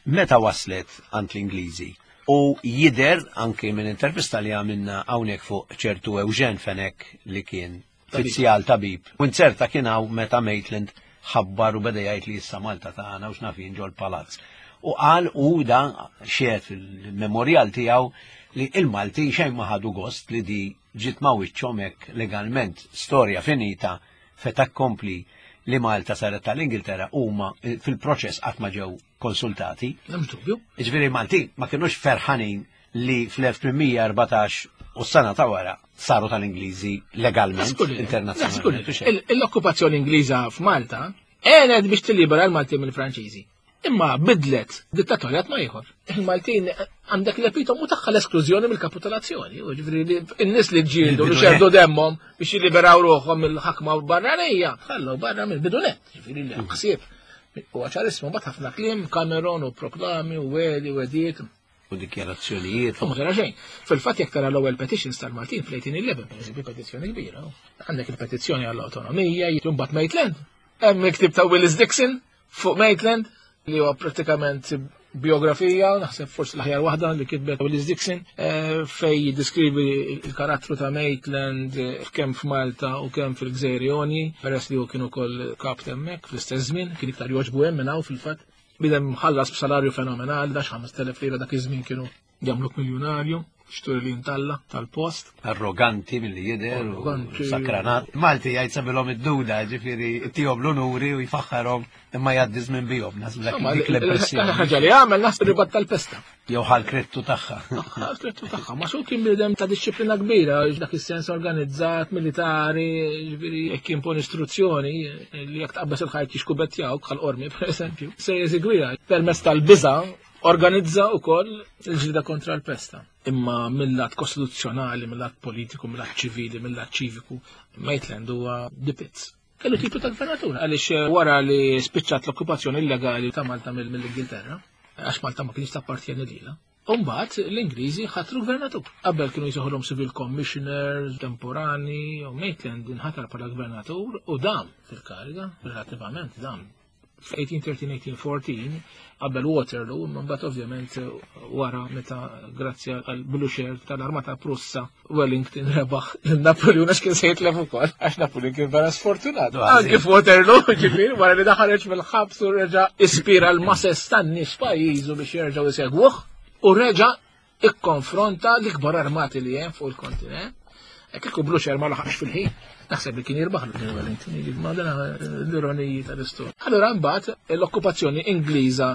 meta waslet għand l-Ingliżi? U jider anki minn intervista li għamilna hawnhekk fuq ċertu Eugen Fenech li kien fizzjal tabib. U nzerta kien hawn meta Maitland ħabbar u beda jgħid li issa Malta tagħna u x'nafin ġol-palazz. U qal u da xiet fil-memorial tiegħu li il-Malti xejn ma ħadu gost li di ġiet ma wiċċhom hekk legalment storja finita fait accompli li Malta saret tal-Ingilterra huma fil-proċess qatt ma ġew konsultati. M'hemmx dubju. Jiġifieri Malti ma kinux ferħanin li fl-elf tmien mija erbatax u s-sena ta' wara saru tal-Ingliżi legalment, internazzjonalment. L-okkupazzjoni Ingliża f'Malta għenet biex tillibera l-Maltin mill-Franċiżi. Imma bidlet dittatorjat ma ieħor. Il-Maltin għandek l-epitomu tagħha l-esklużjoni mill-kapitolazzjoni. Ġifieri n-nies li ġġieldu li xerdu demmhom biex jilliberaw ruħhom mill-ħakma barranija, ħallew barra mill-bidunet. Ġifieri li ħsieb. U ċarissmu mbagħad ħafna kliem, Cameron u proklami u weli u ediet. U dikjarazzjonijiet. U ma tara xejn. Fil-fatt jekk tara l-ewwel petitions tal-Maltin fl-eighteen eleven, pereżempju, petizzjoni kbira. Għandek il-petizzjoni għall-awtonomija, mbagħad Maitland. Hemm il-ktieb ta' Willis Dixon fuq Maitland, li huwa pratikament biografija, naħseb forsi l-aħjar waħda li kitbet Willis Dixon, eh, fej jiddeskrivi il-karattru ta' Maitland, eh, kemm f'Malta u kemm fil-Gżejjer Jonji, peress li hu kien ukoll kap hemmhekk fl-istess żmien, kien iktar jogħġbu hemm minn hawn fil-fatt. Bidem ħallas b'salarju fenomenali, dax ħames telef lira dak iż-żmien kienu jagħmluk miljunarju, xturi li jintalla tal-post. Arroganti milli jidher u Arroganti. sakranat. Malti jgħid sabilhom id-duda, ġifieri tihom l-unuri u jfaħħarhom imma jgħaddi żmien bihom, naħseb dak Insomma, dik l-impressjoni. ħaġa li għamel naħseb ribat tal-pesta. Jew ħal krettu tagħha. Ħal krettu tagħha, ma xu kien bniedem ta' disċiplina kbira, dak is-sens organizzat, militari, ġifieri jekk impon istruzzjoni li jekk tqabbes il-ħajt jixkubettjawk bħal qormi pereżempju, se jeżegwiha permezz tal-biża' organizza wkoll il-ġlida kontra l-pesta. Imma mill-lat kostituzzjonali, mill-lat politiku, mill-lat ċivili, mill-lat ċiviku, Maitland huwa dipitz. Kellu titlu ta' gvernatur, għaliex wara li spiċċat l-okkupazzjoni illegali ta' Malta mill-, mill-Ingilterra, għax Malta ma kienx tappartjeni lilha. Umbagħad l-Ingliżi ħatru gvernatur. Qabel kienu jsejħulhom civil commissioners temporani, u Maitland inħatar bħala gvernatur u dam fil-kariga, relattivament dam. F' eighteen thirteen, eighteen fourteen, qabel Waterloo, imma mbagħad ovvjament wara meta grazzi għal Blucher tal-Armata Prussa Wellington rebaħ lil Napoleon għax kien se jitlef ukoll, għax Napoleon kien vera sfortunat. Għażil. Anke f'Waterloo, ġifieri, wara li daħareġ mill-ħabs u reġa' ispira l-masses tan-nies pajjiżu biex jerġgħu jsegwuh u reġa' ikkonfronta l-ikbar armati li hemm fuq il-kontinent. Hekk kieku Blucher ma laħaqx fil-ħin, naħseb li kien jirbaħ lil Wellington, jiġifieri, ma dan l-ironiji tal-istorja. Allura mbagħad l-okkupazzjoni Ingliża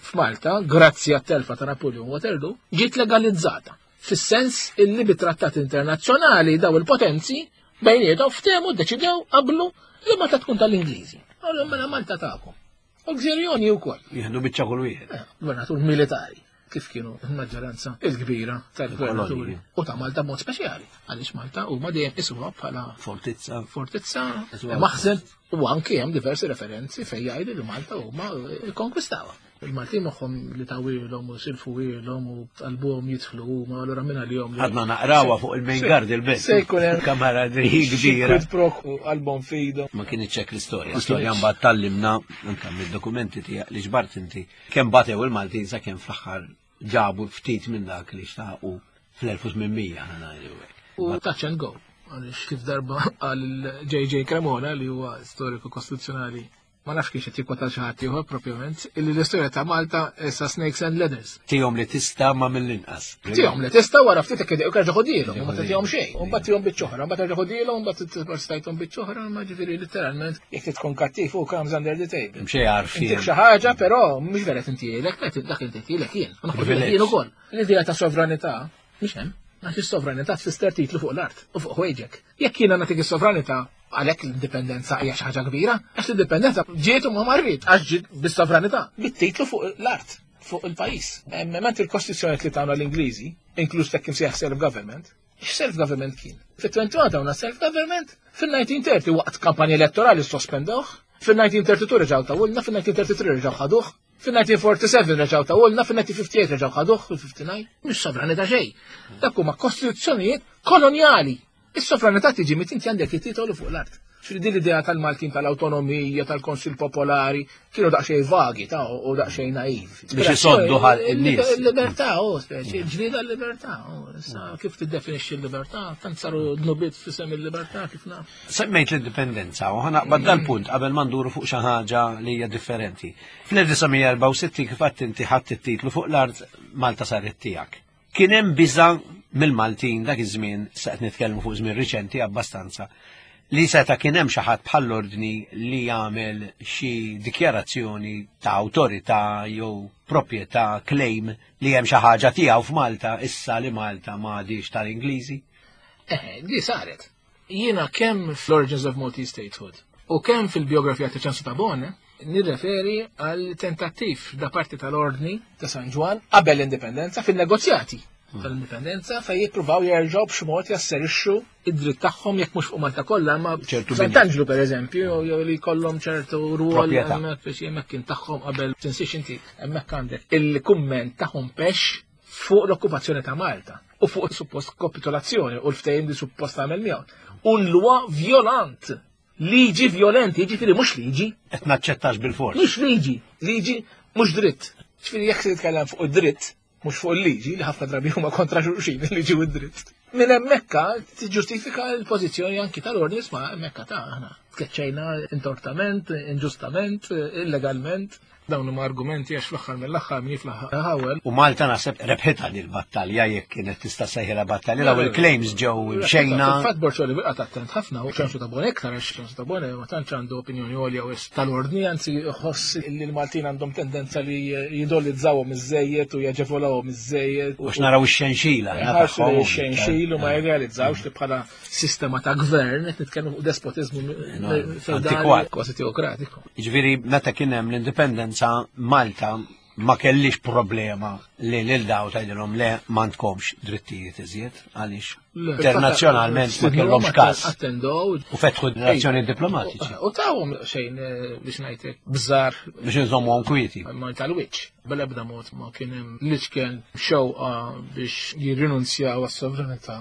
f'Malta, grazzi għat-telfa ta' Napoleon Waterloo, ġiet legalizzata. Fis-sens illi bit-trattat internazzjonali daw il-potenzi bejniethom ftehmu ddeċidew qablu li Malta tkun tal-Ingliżi. Allura mela Malta tagħkom. U l-Gżejjer Jonji wkoll. Jieħdu biċċa kull wieħed. Eh, gvernatur militari, kif kienu l-maġġoranza il-kbira tal-gvernaturi. Il-kolonji. U ta' Malta b'mod speċjali, għaliex Malta huma dejjem isuha bħala fortizza, fortizza, Isuha. maħżen, u anke hemm diversi referenzi fejn jgħidu li Malta huma kkonkwistawha. Il-Maltin moħħhom li tawilhom u silfuhilhom u qalbuhom jidħlu huma, allura minn għalihom li Għadna naqrawha fuq il-main Se- guard il-belt. se jkun hemm Kamaradri kbira. Quid pro quo għal-bon fido. Ma kienx hekk l-istorja. L-istorja mbagħad tallimna anke mid-dokumenti tiegħek li ġbart inti kemm batew il-Maltin sakemm fl-aħħar ġabu ftit minn dak li xtaqu fl-elf u tmien mija, ħa ngħidu hekk. U touch and go. Għaliex kif darba għal J J Cremona li huwa storiku kostituzzjonali, ma nafx kiex qed jikkwota xi ħadd ieħor propjament, illi l-istorja ta' Malta issa snakes and ladders. Tihom li tista' ma mill-inqas. Tihom li tista' wara ftit hekk idejqu terġa' ħodilhom, ma tagħtihom xejn. U mbagħad tihom biċċa oħra, mbagħad terġa' ħodilhom, mbagħad stajthom biċċa oħra, ma ġifieri letteralment jekk tkun kattiv u comes under the table. Mxej għarfien. Intik xi ħaġa, però mhux vera tintielek, dak dak intielek jien. Ma naħodilek Privileġġ. jien ukoll. L-idea ta' sovranità mhix hemm. Għax is-sovranità tfisser titlu fuq l-art u fuq ħwejġek. Jekk jiena nagħtik is-sovranità, għalhekk l-indipendenza hija xi ħaġa kbira, għax l-indipendenza ġiet u ma marrit, għax ġiet bis-sovranità, bit-titlu fuq l-art, fuq il-pajjiż. Ment il-kostituzzjoni li tagħna l-Ingliżi, inkluż dak imsejjaħ self-government, x-self-government kien? Fit-twenty-one tawna self-government, fil-nineteen thirty waqt kampanja elettorali sospendewh, fil-nineteen thirty-two reġgħu tawulna, fil-nineteen thirty-three reġgħu ħaduh, fil-nineteen forty-seven reġgħu tawulna, fil-nineteen fifty-eight reġgħu ħaduh, fil-fifty-nine, mhux sovranità xejn. Dak huma kostituzzjonijiet kolonjali. Is-sovranità tiġi meta inti għandek it-titolu fuq l-art. Ġifieri din l-idea tal-Maltin tal-awtonomija, tal-Konsil Popolari, kienu daqsxejn vagi ta' u daqsxejn naiv. Biex isoddu ħal in-nies. Il-libertà, oh, speċi, ġlieda l-libertà. Issa kif tiddefinixxi l-libertà? Tant saru dnubiet f'isem il-libertà kif naf. Semmejt l-indipendenza u ħanaqbad dal-punt qabel ma nduru fuq xi ħaġa li hija differenti. Fl-elf disa' mija erbgħa u sittin kif għedt inti ħadd it-titlu fuq l-art Malta saret tiegħek. Kien hemm biża' mill-Maltin dak iż-żmien, sa qed nitkellmu fuq żmien riċenti abbastanza, li seta' kien hemm xi ħadd bħall-ordni li jagħmel xi dikjarazzjoni ta' awtorità jew proprjetà claim li hemm xi ħaġa tiegħu f'Malta issa li Malta m'għadix tal-Ingliżi? Eh, di saret. Jiena kemm fl-Origins of Maltese Statehood u kemm fil-biografija ta' Ċensu Tabone nirreferi għal tentattiv da parti tal-Ordni ta' San Ġwann qabel l-indipendenza fin-negozjati tal-indipendenza fejn jippruvaw jerġgħu b'xi mod jasserixxu id-dritt tagħhom jekk mhux fuq Malta kollha, ma ċertu Sant'Anġlu pereżempju, jew li jkollhom ċertu rwol Proprjetà. hemmhekk biex hemmhekk kien tagħhom qabel tinsiex inti hemmhekk għandek il-kumment ta' Hompesch fuq l-okkupazzjoni ta' Malta u fuq suppost kapitolazzjoni u l-ftehim li suppost għamel miegħu. Un lwa violant, liġi violenti, jiġifieri mhux liġi. Qed naċċettax bil-fors. Mhux liġi, liġi mhux dritt. Ġifieri jekk se titkellem fuq id-dritt, mhux fuq il-liġi li ħafna drabi huma kontra xulxin il-liġi u d-dritt. Minn hemmhekk tiġġustifika l-pożizzjoni anki tal-ordni isma' hemmhekk ta' aħna tkeċċejna intortament, inġustament, illegalment. Dawn huma argumenti għax fl-aħħar mill-aħħar min jiflaħ ħawel. U Malta naħseb rebħitha li l-battalja jekk kienet tista' sejħilha battalja, daw il-claims ġew imxejna. Fil-fatt Borċoli bqa' attent ħafna u Ċensu Tabone iktar għax Ċensu Tabone ma tantx għandu opinjoni għolja u tal-ordni, anzi jħoss li l-Maltin għandhom tendenza li jidolizzawhom iż-żejjed u jaġevolawhom iż-żejjed. U x'naraw ix-xenxila, Ħarsu tagħhom. li x-xenxil u ma jirrealizzawx li bħala sistema ta' gvern qed nitkellmu fuq despotiżmu feudali antikwat. kważi teokratiku. Jiġifieri meta kien hemm l-indipendenza Malta ma kellix problema li lil daw tgħidilhom le m'għandkomx drittijiet iżjed għaliex Le, internazzjonalment ma fil-fatt, kellhomx każ. Attendow. U fetħu relazzjoni diplomatiċi. U tawhom xejn, eh, biex ngħidlek bżar biex inżommuhom kwieti. Ma tal-wiċċ. Bla ebda mod ma kien hemm l-iċken xewqa biex jirrinunzjaw għas-sovranità.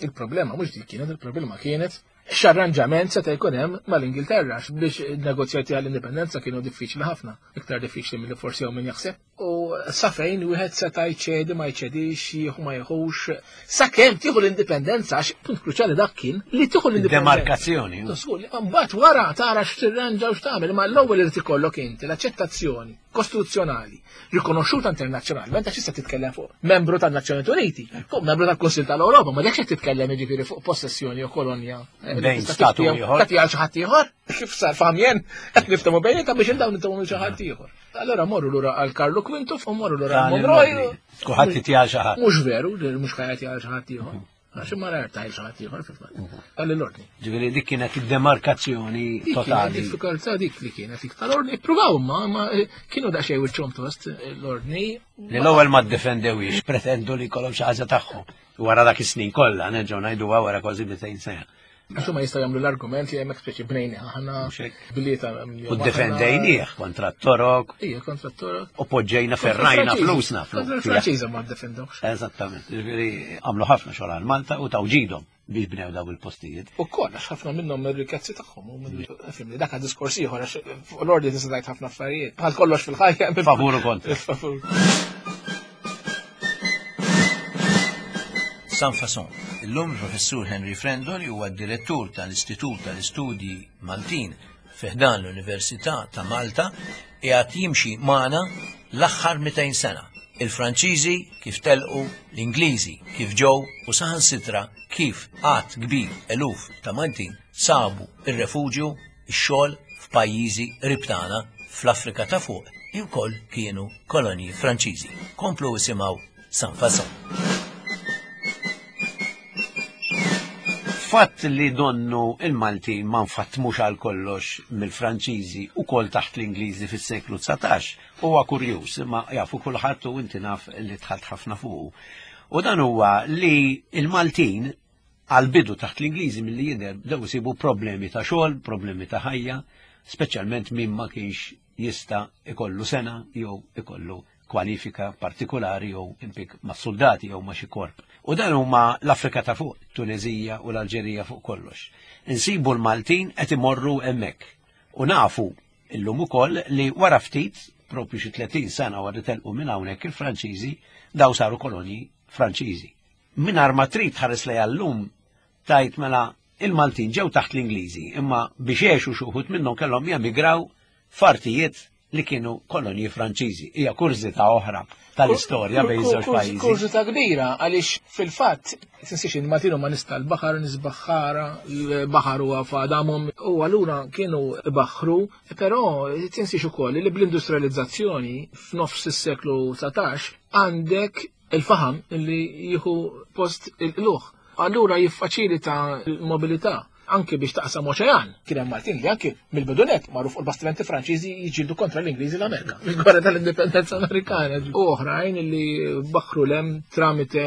Il-problema mhux dik kienet, il-problema kienet x'arranġament seta' jkun hemm mal-Ingilterra biex negozjati għall-indipendenza kienu diffiċli ħafna, iktar diffiċli milli forsi hawn min jaħseb. U sa fejn wieħed seta' jċedi ma jċedix, jieħu ma jieħux, sakemm tieħu l-indipendenza, għax punt kruċjali dak kien li tieħu l-indipendenza. Demarkazzjoni. Żgur, mbagħad wara tara x'tirranġa u x'tagħmel, imma l-ewwel irid ikollok inti l-aċċettazzjoni kostituzzjonali rikonoxxuta internazzjonalment, għax issa titkellem fuq membru tan-Nazzjonijiet Uniti, fuq membru tal-Kunsill tal-Ewropa, ma dekx qed titkellem jiġifieri fuq possessjoni jew kolonja. Bejn statu ieħor. Tagħti għal xi ħadd ieħor, kif sar famjen, qed niftehmu bejnietna biex dawn niftehmu xi ħadd ieħor. Allora morru lura għal Karlu Quintu u morru lura għal Monroy. Kulħadd jagħti għal xi ħadd. Mhux veru, mhux ħajati għal xi ħadd ieħor. Għax ma rajt għal xi ħadd ieħor fil-fatt. Għal l-ordni. Ġifieri dik kienet id-demarkazzjoni Dik kienet totali. Diffikultà dik li kienet dik tal-ordni. Ippruvaw ma, ma kienu daqsxejn wiċċhom tost l-ordni. Li l-ewwel ma ddefendewix, pretendu li jkollhom xi ħaġa tagħhom. Wara dak is-snin kollha, nerġgħu ngħiduha wara kważi mitejn sena. Għax huma jistgħu jagħmlu l-argument li hemmhekk speċi bnejni aħna Mhux hekk. blieta. U ddefendejnieh kontra t-Torok Ija, kontra t-Torok. u poġġejna ferrajna flusna. Kontra l-Franċiża ma ddefendewx. Eżattament. Ġifieri għamlu ħafna xogħol għal Malta u taw ġidhom biex bnew daw il-postijiet. U koll, għax ħafna minnhom mir-rikkezzi tagħhom u minn fimni dak diskors ieħor għax fuq l-ordni tista' tgħid ħafna affarijiet. Bħal kollox fil-ħajja. Favur u kontra. Favur. Sans Façon. Illum il-professur Henry Frendo li huwa d-direttur tal-Istitut tal-Istudji Maltin fi ħdan l-Università ta' Malta qiegħed jimxi magħna l-aħħar mitejn sena. Il-Franċiżi kif telqu, l-Ingliżi kif ġew u saħansitra kif għadd kbir eluf ta' Maltin sabu ir-refuġju, ix-xogħol f'pajjiżi qrib tagħna fl-Afrika ta' fuq li wkoll kienu kolonji Franċiżi. Komplu isimgħu Sans Façon. Fatt li donnu il-Malti ma nfatmux għal kollox mill-Franċiżi u kol taħt l-Ingliżi fis-seklu dsatax huwa kurjuż, imma jafu kulħadd u inti naf li dħalt ħafna fuqu. U dan huwa li il-Maltin għal-bidu taħt l-Ingliżi milli jidher bdew isibu problemi ta' xogħol, problemi ta' ħajja, speċjalment min ma kienx jista' ikollu sena jew ikollu kwalifika partikolari jew impik ma' soldati jew ma' xi korp. U dan huma l-Afrika ta' fuq, Tunezija u l-Alġerija fuq kollox. Insibu l-Maltin qed imorru hemmhekk. U nafu illum ukoll li wara ftit, propju xi tletin sena wara telqu minn hawnhekk il-Franċiżi, daw saru kolonji Franċiżi. Mingħajr ma trid tħares lejha llum tajt mela il-Maltin ġew taħt l-Ingliżi, imma biex għexu xi wħud minnhom kellhom jemigraw f'artijiet li kienu kolonji Franċiżi. Hija kurżità oħra tal-istorja bejn żewġ pajjiżi. Kurżità kbira għaliex fil-fatt tinsiex il-Maltin huma nies tal-baħar, nies baħħara, l-baħar huwa f'għadamhom u allura kienu baħħru, però tinsiex ukoll li bl-industrializzazzjoni f'nofs is-seklu dsatax għandek il-faħam li jieħu post il-qluħ. Allura jiffaċilita l-mobilità anke biex taqsam oċean. Kien hemm Maltin li anke mill-bidunet marru fuq il-bastimenti Franċiżi jiġġieldu kontra l-Ingliżi l-Amerika. Fil-gwerra tal-Indipendenza Amerikana. U oħrajn li baħħru lem tramite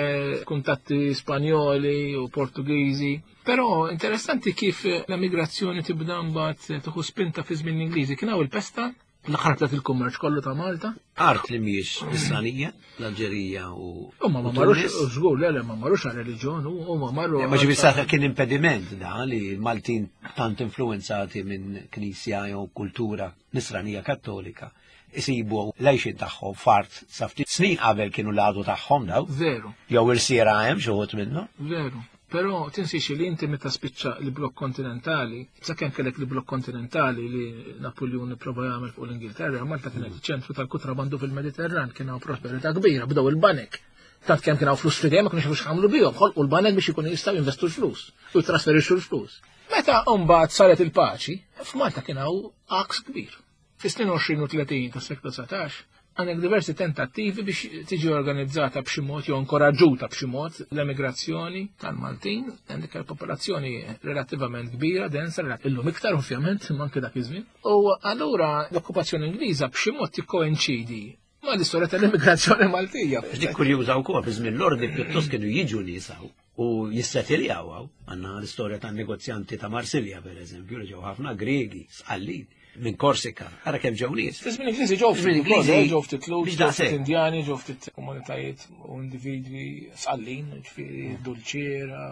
kuntatti Spanjoli u Portugiżi. Però interessanti kif l-emigrazzjoni tibda mbagħad tieħu spinta fi żmien l-Ingliżi. Kien hawn il-pesta l-ħarb il-kummerċ kollu ta' Malta. Art li mhijiex Nisranija, l-Alġerija u U ma marrux, żgur, le, le, ma marrux għal reliġjon, u ma marru. Ma ġifieri sa kien impediment da li l-Maltin tant influenzati minn knisja jew kultura Nisranija Kattolika isibu l-għajxin tagħhom f'art sa ftit snin qabel kienu l-għadu tagħhom daw. Veru. Jew irsiera hemm xi wħud minnhom. Veru. Però tinsiex li inti meta spiċċa l-blokk kontinentali, sakemm kellek l-blokk kontinentali li Napoleon prova jagħmel fuq l-Ingilterra, Malta kienet ċentru tal-kutrabandu fil-Mediterran, kien hawn prosperità kbira, bdew il-banek. Tant kemm kien hawn flus f'idejhom ma kienux jafux x'għamlu bihom, ħolqu l-banek biex ikunu jistgħu jinvestu l-flus u jitrasferixxu l-flus. Meta mbagħad saret il-paċi, f'Malta kien hawn għaks kbir. Fis-snin għoxrin u tletin tas-seklu dsatax, għandek diversi tentattivi biex tiġi organizzata b'xi mod jew inkoraġġuta b'xi mod l-emigrazzjoni tal-Maltin. Għandek popolazzjoni relattivament kbira, densa, illum iktar ovvjament, imma anke dak iż-żmien. U allura l-okkupazzjoni Ingliża b'xi mod tikkoinċidi ma l-istorja tal-immigrazzjoni Maltija. Dik kurjuża wkoll fi żmien l-ordni pjuttost kienu jiġu nies hawn u jissettiljaw hawn. Għandna l-istorja tan-negozjanti ta' Marsilja pereżempju, li ġew ħafna Gregi, Sqallin minn Korsika, ara kemm ġew nies. Fi żmien Ingliżi ġew ftit Żmien Ingliżi ukoll, ġew ftit Lhud, biex ġew ftit daqshekk. Indjani, ġew ftit komunitajiet u individwi Sqallin, ġifieri Dulċiera,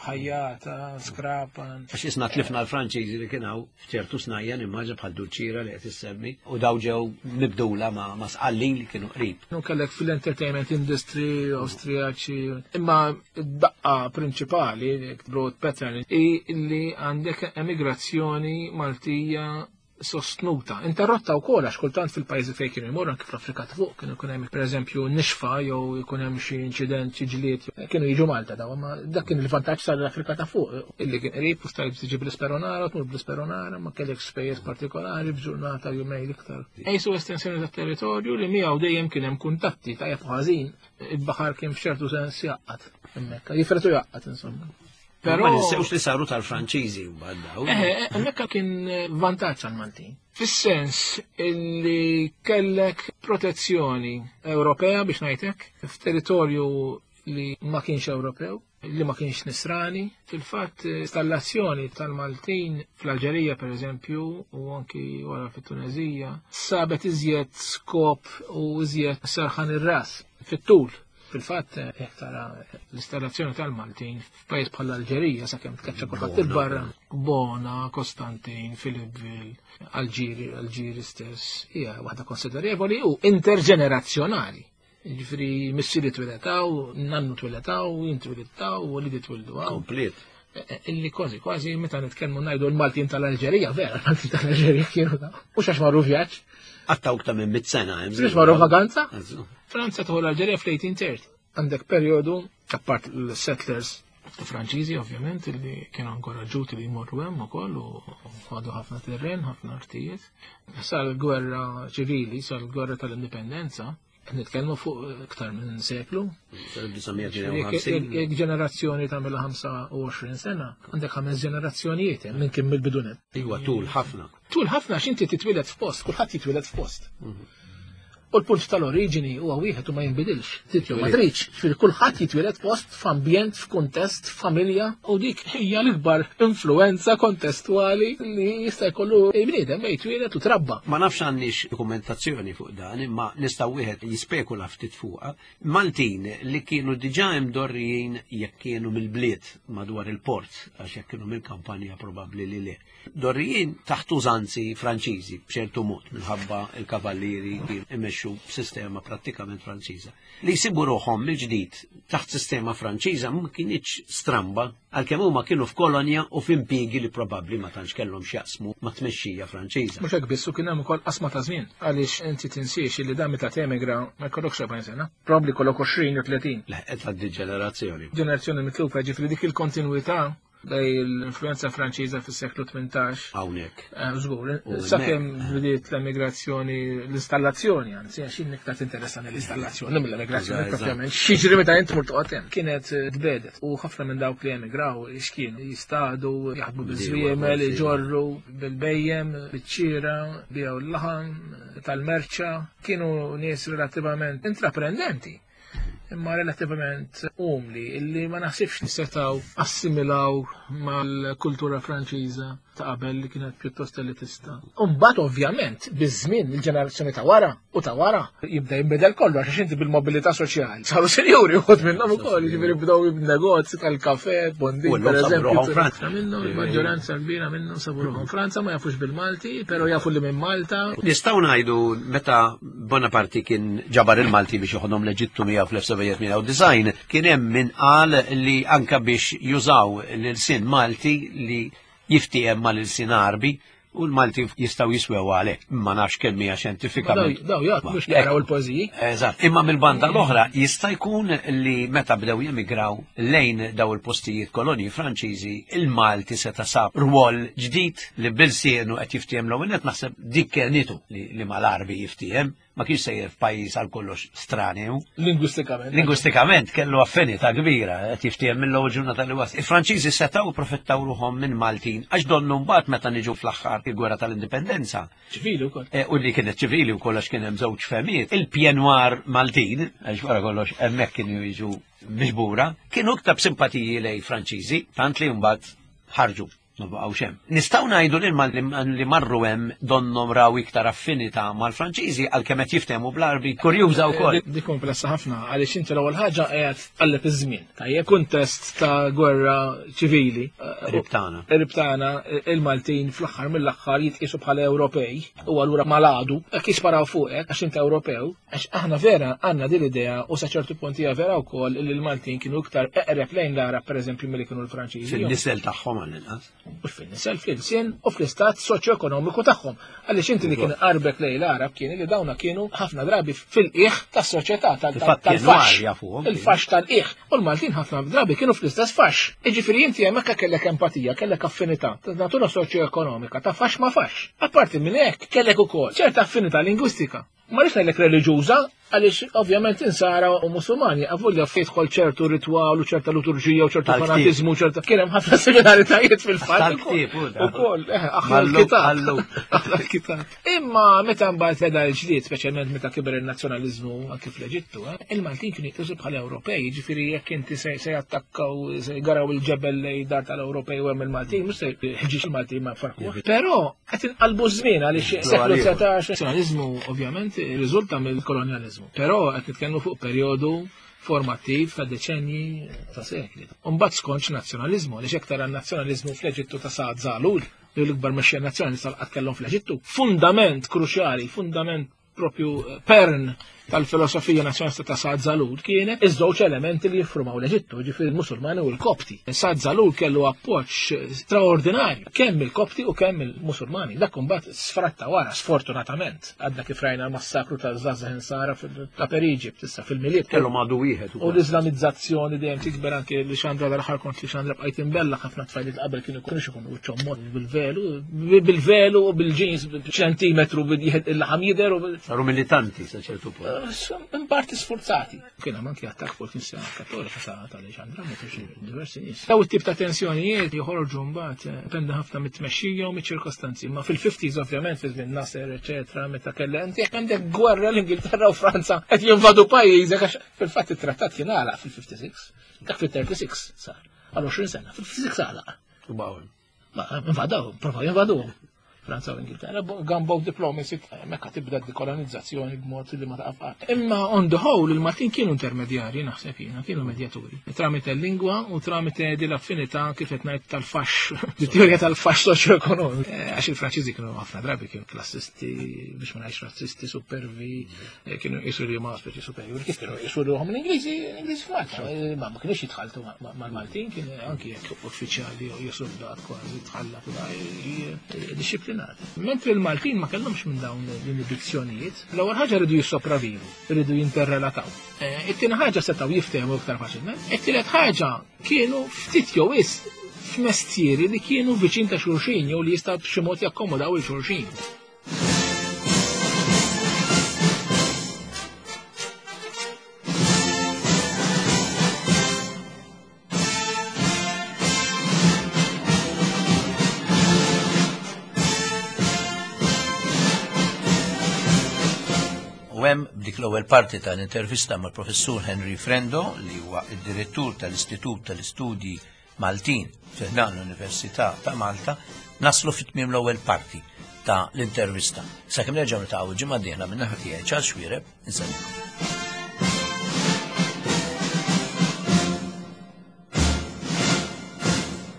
Ħajjata, Skrapan. Għax isna tlifna l-Franċiżi li kien hawn f'ċertu snajja nimmaġa bħal Dulċiera li qed issemmi u daw ġew mibdula ma', ma' Sqallin li kienu qrib. Nu kellek fil-entertainment industry, Austriaċi, imma id-daqqa prinċipali, broad pattern, i li għandek emigrazzjoni Maltija sostnuta. Interrotta wkoll għax kultant fil-pajjiżi fejn kienu jmorru anke fl-Afrika ta' fuq kienu jkun hemm pereżempju nixfa jew jkun hemm xi inċident, xi ġlied, kienu jiġu Malta daw, ma dak kien il-vantaġġ tal-Afrika ta' fuq illi kien qrib u stajt tiġi bl-Isperonara, tmur bl-Isperonara, ma kellek spejjeż partikolari b'ġurnata jumejn iktar. Ejsu estensjoni tat-territorju li miegħu dejjem kien hemm kuntatti tajjeb u ħażin, il-baħar kien f'ċertu sens jaqqat hemmhekk, jifretu jaqqat insomma. Però ma ninsewx li saru tal-Franċiżi mbagħad daw. Eh, hemmhekk kien vantaġġ għall-Maltin. Fis-sens illi kellek protezzjoni Ewropea biex ngħidlek f'territorju li ma kienx Ewropew, li ma kienx Nisrani. Fil-fatt installazzjoni tal-Maltin fl-Alġerija pereżempju u anki wara fit-Tunezija sabet iżjed skop u iżjed serħan ir-ras fit-tul. Fil-fatt, jekk tara l-installazzjoni tal-Maltin f'pajjiż bħal l-Alġerija sakemm tkaċċa kulħadd il-barra, Bona, Kostantin, Philippeville, Alġiri, Alġiri stess, hija waħda konsiderevoli u interġenerazzjonali. Jiġifieri missieri twiletaw, nannu twiletaw, jien twiletaw, u wliedi twildu hawn. Komplet. Illi kważi, kważi meta nitkellmu ngħidu l-Maltin tal-Alġerija, vera, l-Maltin tal-Alġerija kienu daw. Mhux għax marru vjaġġ. Għattaw iktar minn mitt sena, hemm. Mhux marru vaganza? Eżatt. Franza tħol l-Alġerija fl-eighteen thirty. Għandek perjodu, apart l-settlers Franċiżi ovvjament, li kienu inkoraġġuti li jmorru hemm ukoll u ħadu ħafna terren, ħafna artijiet. Sal-gwerra ċivili, sal-gwerra tal-indipendenza, nitkellmu fuq iktar minn seklu. Jekk ġenerazzjoni tagħmilha ħamsa u għoxrin sena, għandek ħames ġenerazzjonijiet hemm minn kien mill-bidunet. Iwa, tul ħafna. Tul ħafna għax inti titwieled f'post, kulħadd jitwieled f'post. Mhm. U l-punt tal-oriġini huwa wieħed u ma jinbidilx. Trid jew ma tridx. Ġifieri kulħadd jitwieled post f'ambjent, f'kuntest, f'familja u dik hija l-ikbar influenza kontestwali li jista' jkollu bniedem jitwieled u trabba. Ma nafx għandix dokumentazzjoni fuq dan, imma nista' wieħed jispekula ftit fuqha. Maltin li kienu diġà imdorrijin jekk kienu mill-bliet madwar il-port, għax jekk kienu mill-kampanja probabbli li le. Dorrijin taħt użanzi Franċiżi b'ċertu mod minħabba il-kavallieri kienu imexxu b'sistema prattikament Franċiża. Li jsibu ruħhom mill-ġdid taħt sistema Franċiża ma kinitx stramba għalkemm huma kienu f'kolonja u f'impjiegi li probabbli ma tantx kellhom x'jaqsmu ma' tmexxija Franċiża. Mhux hekk biss, u kien hemm ukoll qasma ta' żmien għaliex inti tinsiex li dan meta temigra ma jkollokx erbgħin sena, probabbli jkollok għoxrin jew tletin. Leħqet għad-ġenerazzjoni. Ġenerazzjoni mitlufa, ġifieri dik il-kontinwità bej l-influenza Franċiża fis-seklu tmintax. Hawnhekk. Żgur, sakemm bdiet l-emigrazzjoni, l-installazzjoni, anzi għax jien iktar tinteressani l-installazzjoni mill-emigrazzjoni propjament. X'jiġri meta int tmur toqgħod hemm. Kienet tbedet u ħafna minn dawk li emigraw x'kienu jistadu, jaħdmu biż-żwiemel, iġorru bil-bejjem, biċ-ċira, biegħu l-laħam tal-merċa, kienu nies relattivament intraprendenti. Imma relattivament umli, illi ma naħsibx li setgħu assimilaw mal-kultura Franċiża ta' qabel li kienet pjuttost elitista. Imbagħad ovvjament biż-żmien il-ġenerazzjoni ta' wara u ta' wara jibda jinbidel kollu għax inti bil-mobilità soċjali. Saru sinjuri wħud minnhom ukoll, jiġifieri bdew negozji tal-kafè, bondin pereżempju. Minnhom il-maġġoranza kbira minnhom sabu ruħhom Franza, ma jafux bil-Malti, però jafu li minn Malta. Nistgħu ngħidu meta Bonaparte kien ġabar il-Malti biex joħodhom l-Eġittu miegħu fl-elf sebgħamija tmienja u disgħin, kien hemm min qal li anka biex jużaw l-ilsien Malti li jiftiehem mal-ilsien Għarbi u l-Malti jistgħu jiswew għalhekk. Ma nafx kemm hija xjentifikament. Daw jgħid mhux jaraw il-poeżiji. Eżatt. Imma mill-banda l-oħra jista' jkun li meta bdew jemigraw lejn daw il-postijiet kolonji Franċiżi, il-Malti seta' sab rwol ġdid li bil-sienu qed jiftiehem l-ewwel nett, naħseb dik kienitu li mal-Għarbi jiftiehem, ma kienx sejjer f'pajjiż għal kollox stranju. Lingwistikament. Lingwistikament kellu affinità kbira qed jiftiehem mill-ewwel ġurnata li wasal. Il-Franċiżi setgħu profittaw ruħhom minn Maltin għax donnu mbagħad meta niġu fl-aħħar il-gwerra tal-Indipendenza. Ċivili wkoll. U li kienet ċivili wkoll għax kien hemm żewġ fehmiet. Il-Pied Noir Maltin, għax wara kollox hemmhekk kienu jiġu miġbura, kienu iktar simpatiji lej Franċiżi, tant li mbagħad ħarġu. Ma baqgħux hemm. Nistgħu ngħidu li li marru hemm donhom raw iktar affinità mal-Franċiżi għalkemm qed jiftehmu bl-Għarbi, kurjuża wkoll. Dik komplessa ħafna għaliex inti l-ewwel ħaġa qiegħed tqalleb iż-żmien. Tajjeb kuntest ta' gwerra ċivili. Ribtana. Ribtana, il-Maltin fl-aħħar mill-aħħar jitqisu bħala Ewropej u allura maladu jekk jisparaw fuqek għax inti Ewropew, għax aħna vera għandna din l-idea u sa ċertu punt hija vera wkoll li l-Maltin kienu iktar eqreb lejn l-Għarab pereżempju milli kienu l-Franċiżi. Fin-nisel tagħhom għall-inqas. U fin-nisel fil-sien u fl-istat soċjoekonomiku tagħhom. Għaliex inti li kien qarbek lejn l-Għarab kien li dawna kienu ħafna drabi fil-qiegħ tas-soċjetà tal-faxx. Il-faxx tal-qiegħ. U l-Maltin ħafna drabi kienu fl-istess faxx. Jiġifieri inti hemmhekk kellek empatija, kellek affinità ta' natura soċjoekonomika ta' faxx ma' faxx. Apparti minn hekk kellek ukoll ċerta affinità lingwistika. Ma rridx ngħidlek reliġjuża, għaliex ovvjament insara u Musulmani avolja jidħol ċertu ritwal u ċerta liturġija u ċertu fanatiżmu u ċerta kien hemm ħafna similaritajiet fil-fatt. Ukoll, aħna l-kitab. Aħna l-kitab. Imma meta mbagħad beda l-ġdid, speċjalment meta kiber il-nazzjonaliżmu anke fl-Eġittu, il-Maltin kienu jitqisu bħala Ewropej, jiġifieri jekk inti se jattakkaw se jgaraw il-ġebel lejn dar tal-Ewropej u hemm il-Maltin, mhux se jħeġġiex il-Maltin ma farku. Però qed inqalbu żmien għaliex seklu dsatax nazzjonaliżmu ovvjament riżulta mill-kolonjaliżmu. Però qed nitkellmu fuq perjodu formattiv ta' deċenji ta' sekli. Imbagħad skontx nazzjonaliżmu, għaliex hekk tara n-nazzjonaliżmu fl-Eġittu ta' Saad Zaghlul, li l-ikbar mexxej nazzjonalista qatt kellhom fl-Eġittu. Fundament kruċjali, fundament propju pern tal-filosofija nazzjonalista ta' Saad Zaghlul kienet iż-żewġ elementi li jiffurmaw l-Eġittu, ġifieri il-Musulmani u l-Kopti. Saad Zaghlul kellu appoġġ straordinarju kemm il-Kopti u kemm il-Musulmani. Dak imbagħad sfratta wara, sfortunatament. Għadna kif rajna l-massakru ta' Żgħażagħ Insara ta' Per Egypt issa fil-Milied. Kellu madu wieħed U l-Islamizzazzjoni dejjem tikber anke li xandra dal-aħħar kont li xandra bqajt imbella ħafna tfajliet qabel kienu jkunux ikunu wiċċhom mod bil-velu, bil-velu u bil-ġins ċentimetru il-laħam jidher u Saru militanti sa ċertu punt. in parti sforzati. Kien hemm anki attakk fuq il-Knisja Kattolika ta' tal-Aleġandra, meta xi diversi nies. Daw it-tip ta' tensjonijiet joħorġu mbagħad eh, dependi ħafna mit-tmexxija u miċ-ċirkostanzi. Ma fil-fifties ovvjament fi żmien Nasser, eċetera, meta kellha inti jekk għandek gwerra l-Ingilterra u Franza qed jinvadu pajjiżek għax fil-fatt it-trattat kien għalaq fil-fifty-six. Dak fil-thirty-six sar. Għal għoxrin sena, fil-fifty-six għalaq. U baqgħu. Ma invadaw, provaw jinvaduhom. Franza u Ingilterra, gunboat diplomacy, mekka tibda dekolonizzazzjoni b'mod li ma taqaf qatt. Imma on the whole, il-Maltin kienu intermedjari, naħseb jiena, kienu medjaturi. Tramite l-lingwa u tramite di l-affinità kif qed ngħid tal-faxx, di teorija tal-faxx soċjoekonomiku. Eh, għax il-Franċiżi kienu ħafna drabi kienu klassisti, biex ma ngħidx razzisti, supervi, eh, kienu jisu li huma speċi superjuri, kif kienu jisu li hom l-Ingliżi, l-Ingliżi f'Malta. Eh, ma ma kienux jitħaltu ma- ma- mal-Maltin, kien anki jekk uffiċjali jew soldat kważi tħallat u da, eh, disciplinati. Mentri l-Maltin ma kellhomx minn dawn l-inibizzjonijiet, l-ewwel ħaġa rridu jissopravivu, rridu jinterrelataw. Eh, It-tieni ħaġa setgħu jiftehmu iktar faċilment. It-tielet ħaġa kienu ftit jew wisq f'mestieri li kienu viċin ta' xulxin jew li jistgħu b'xi mod jakkomodaw il xulxin. U hemm b'dik l-ewwel parti tal-intervista mal-Professur Henry Frendo, li huwa id-direttur tal-Istitut tal-Istudji Maltin fi ħdan l-Università ta' Malta, naslu fit-tmiem l-ewwel parti ta' l-intervista. Sakemm nerġgħu niltaqgħu ġimgħa d-dieħla minn naħa tiegħi Charles Xuereb, insellimkom.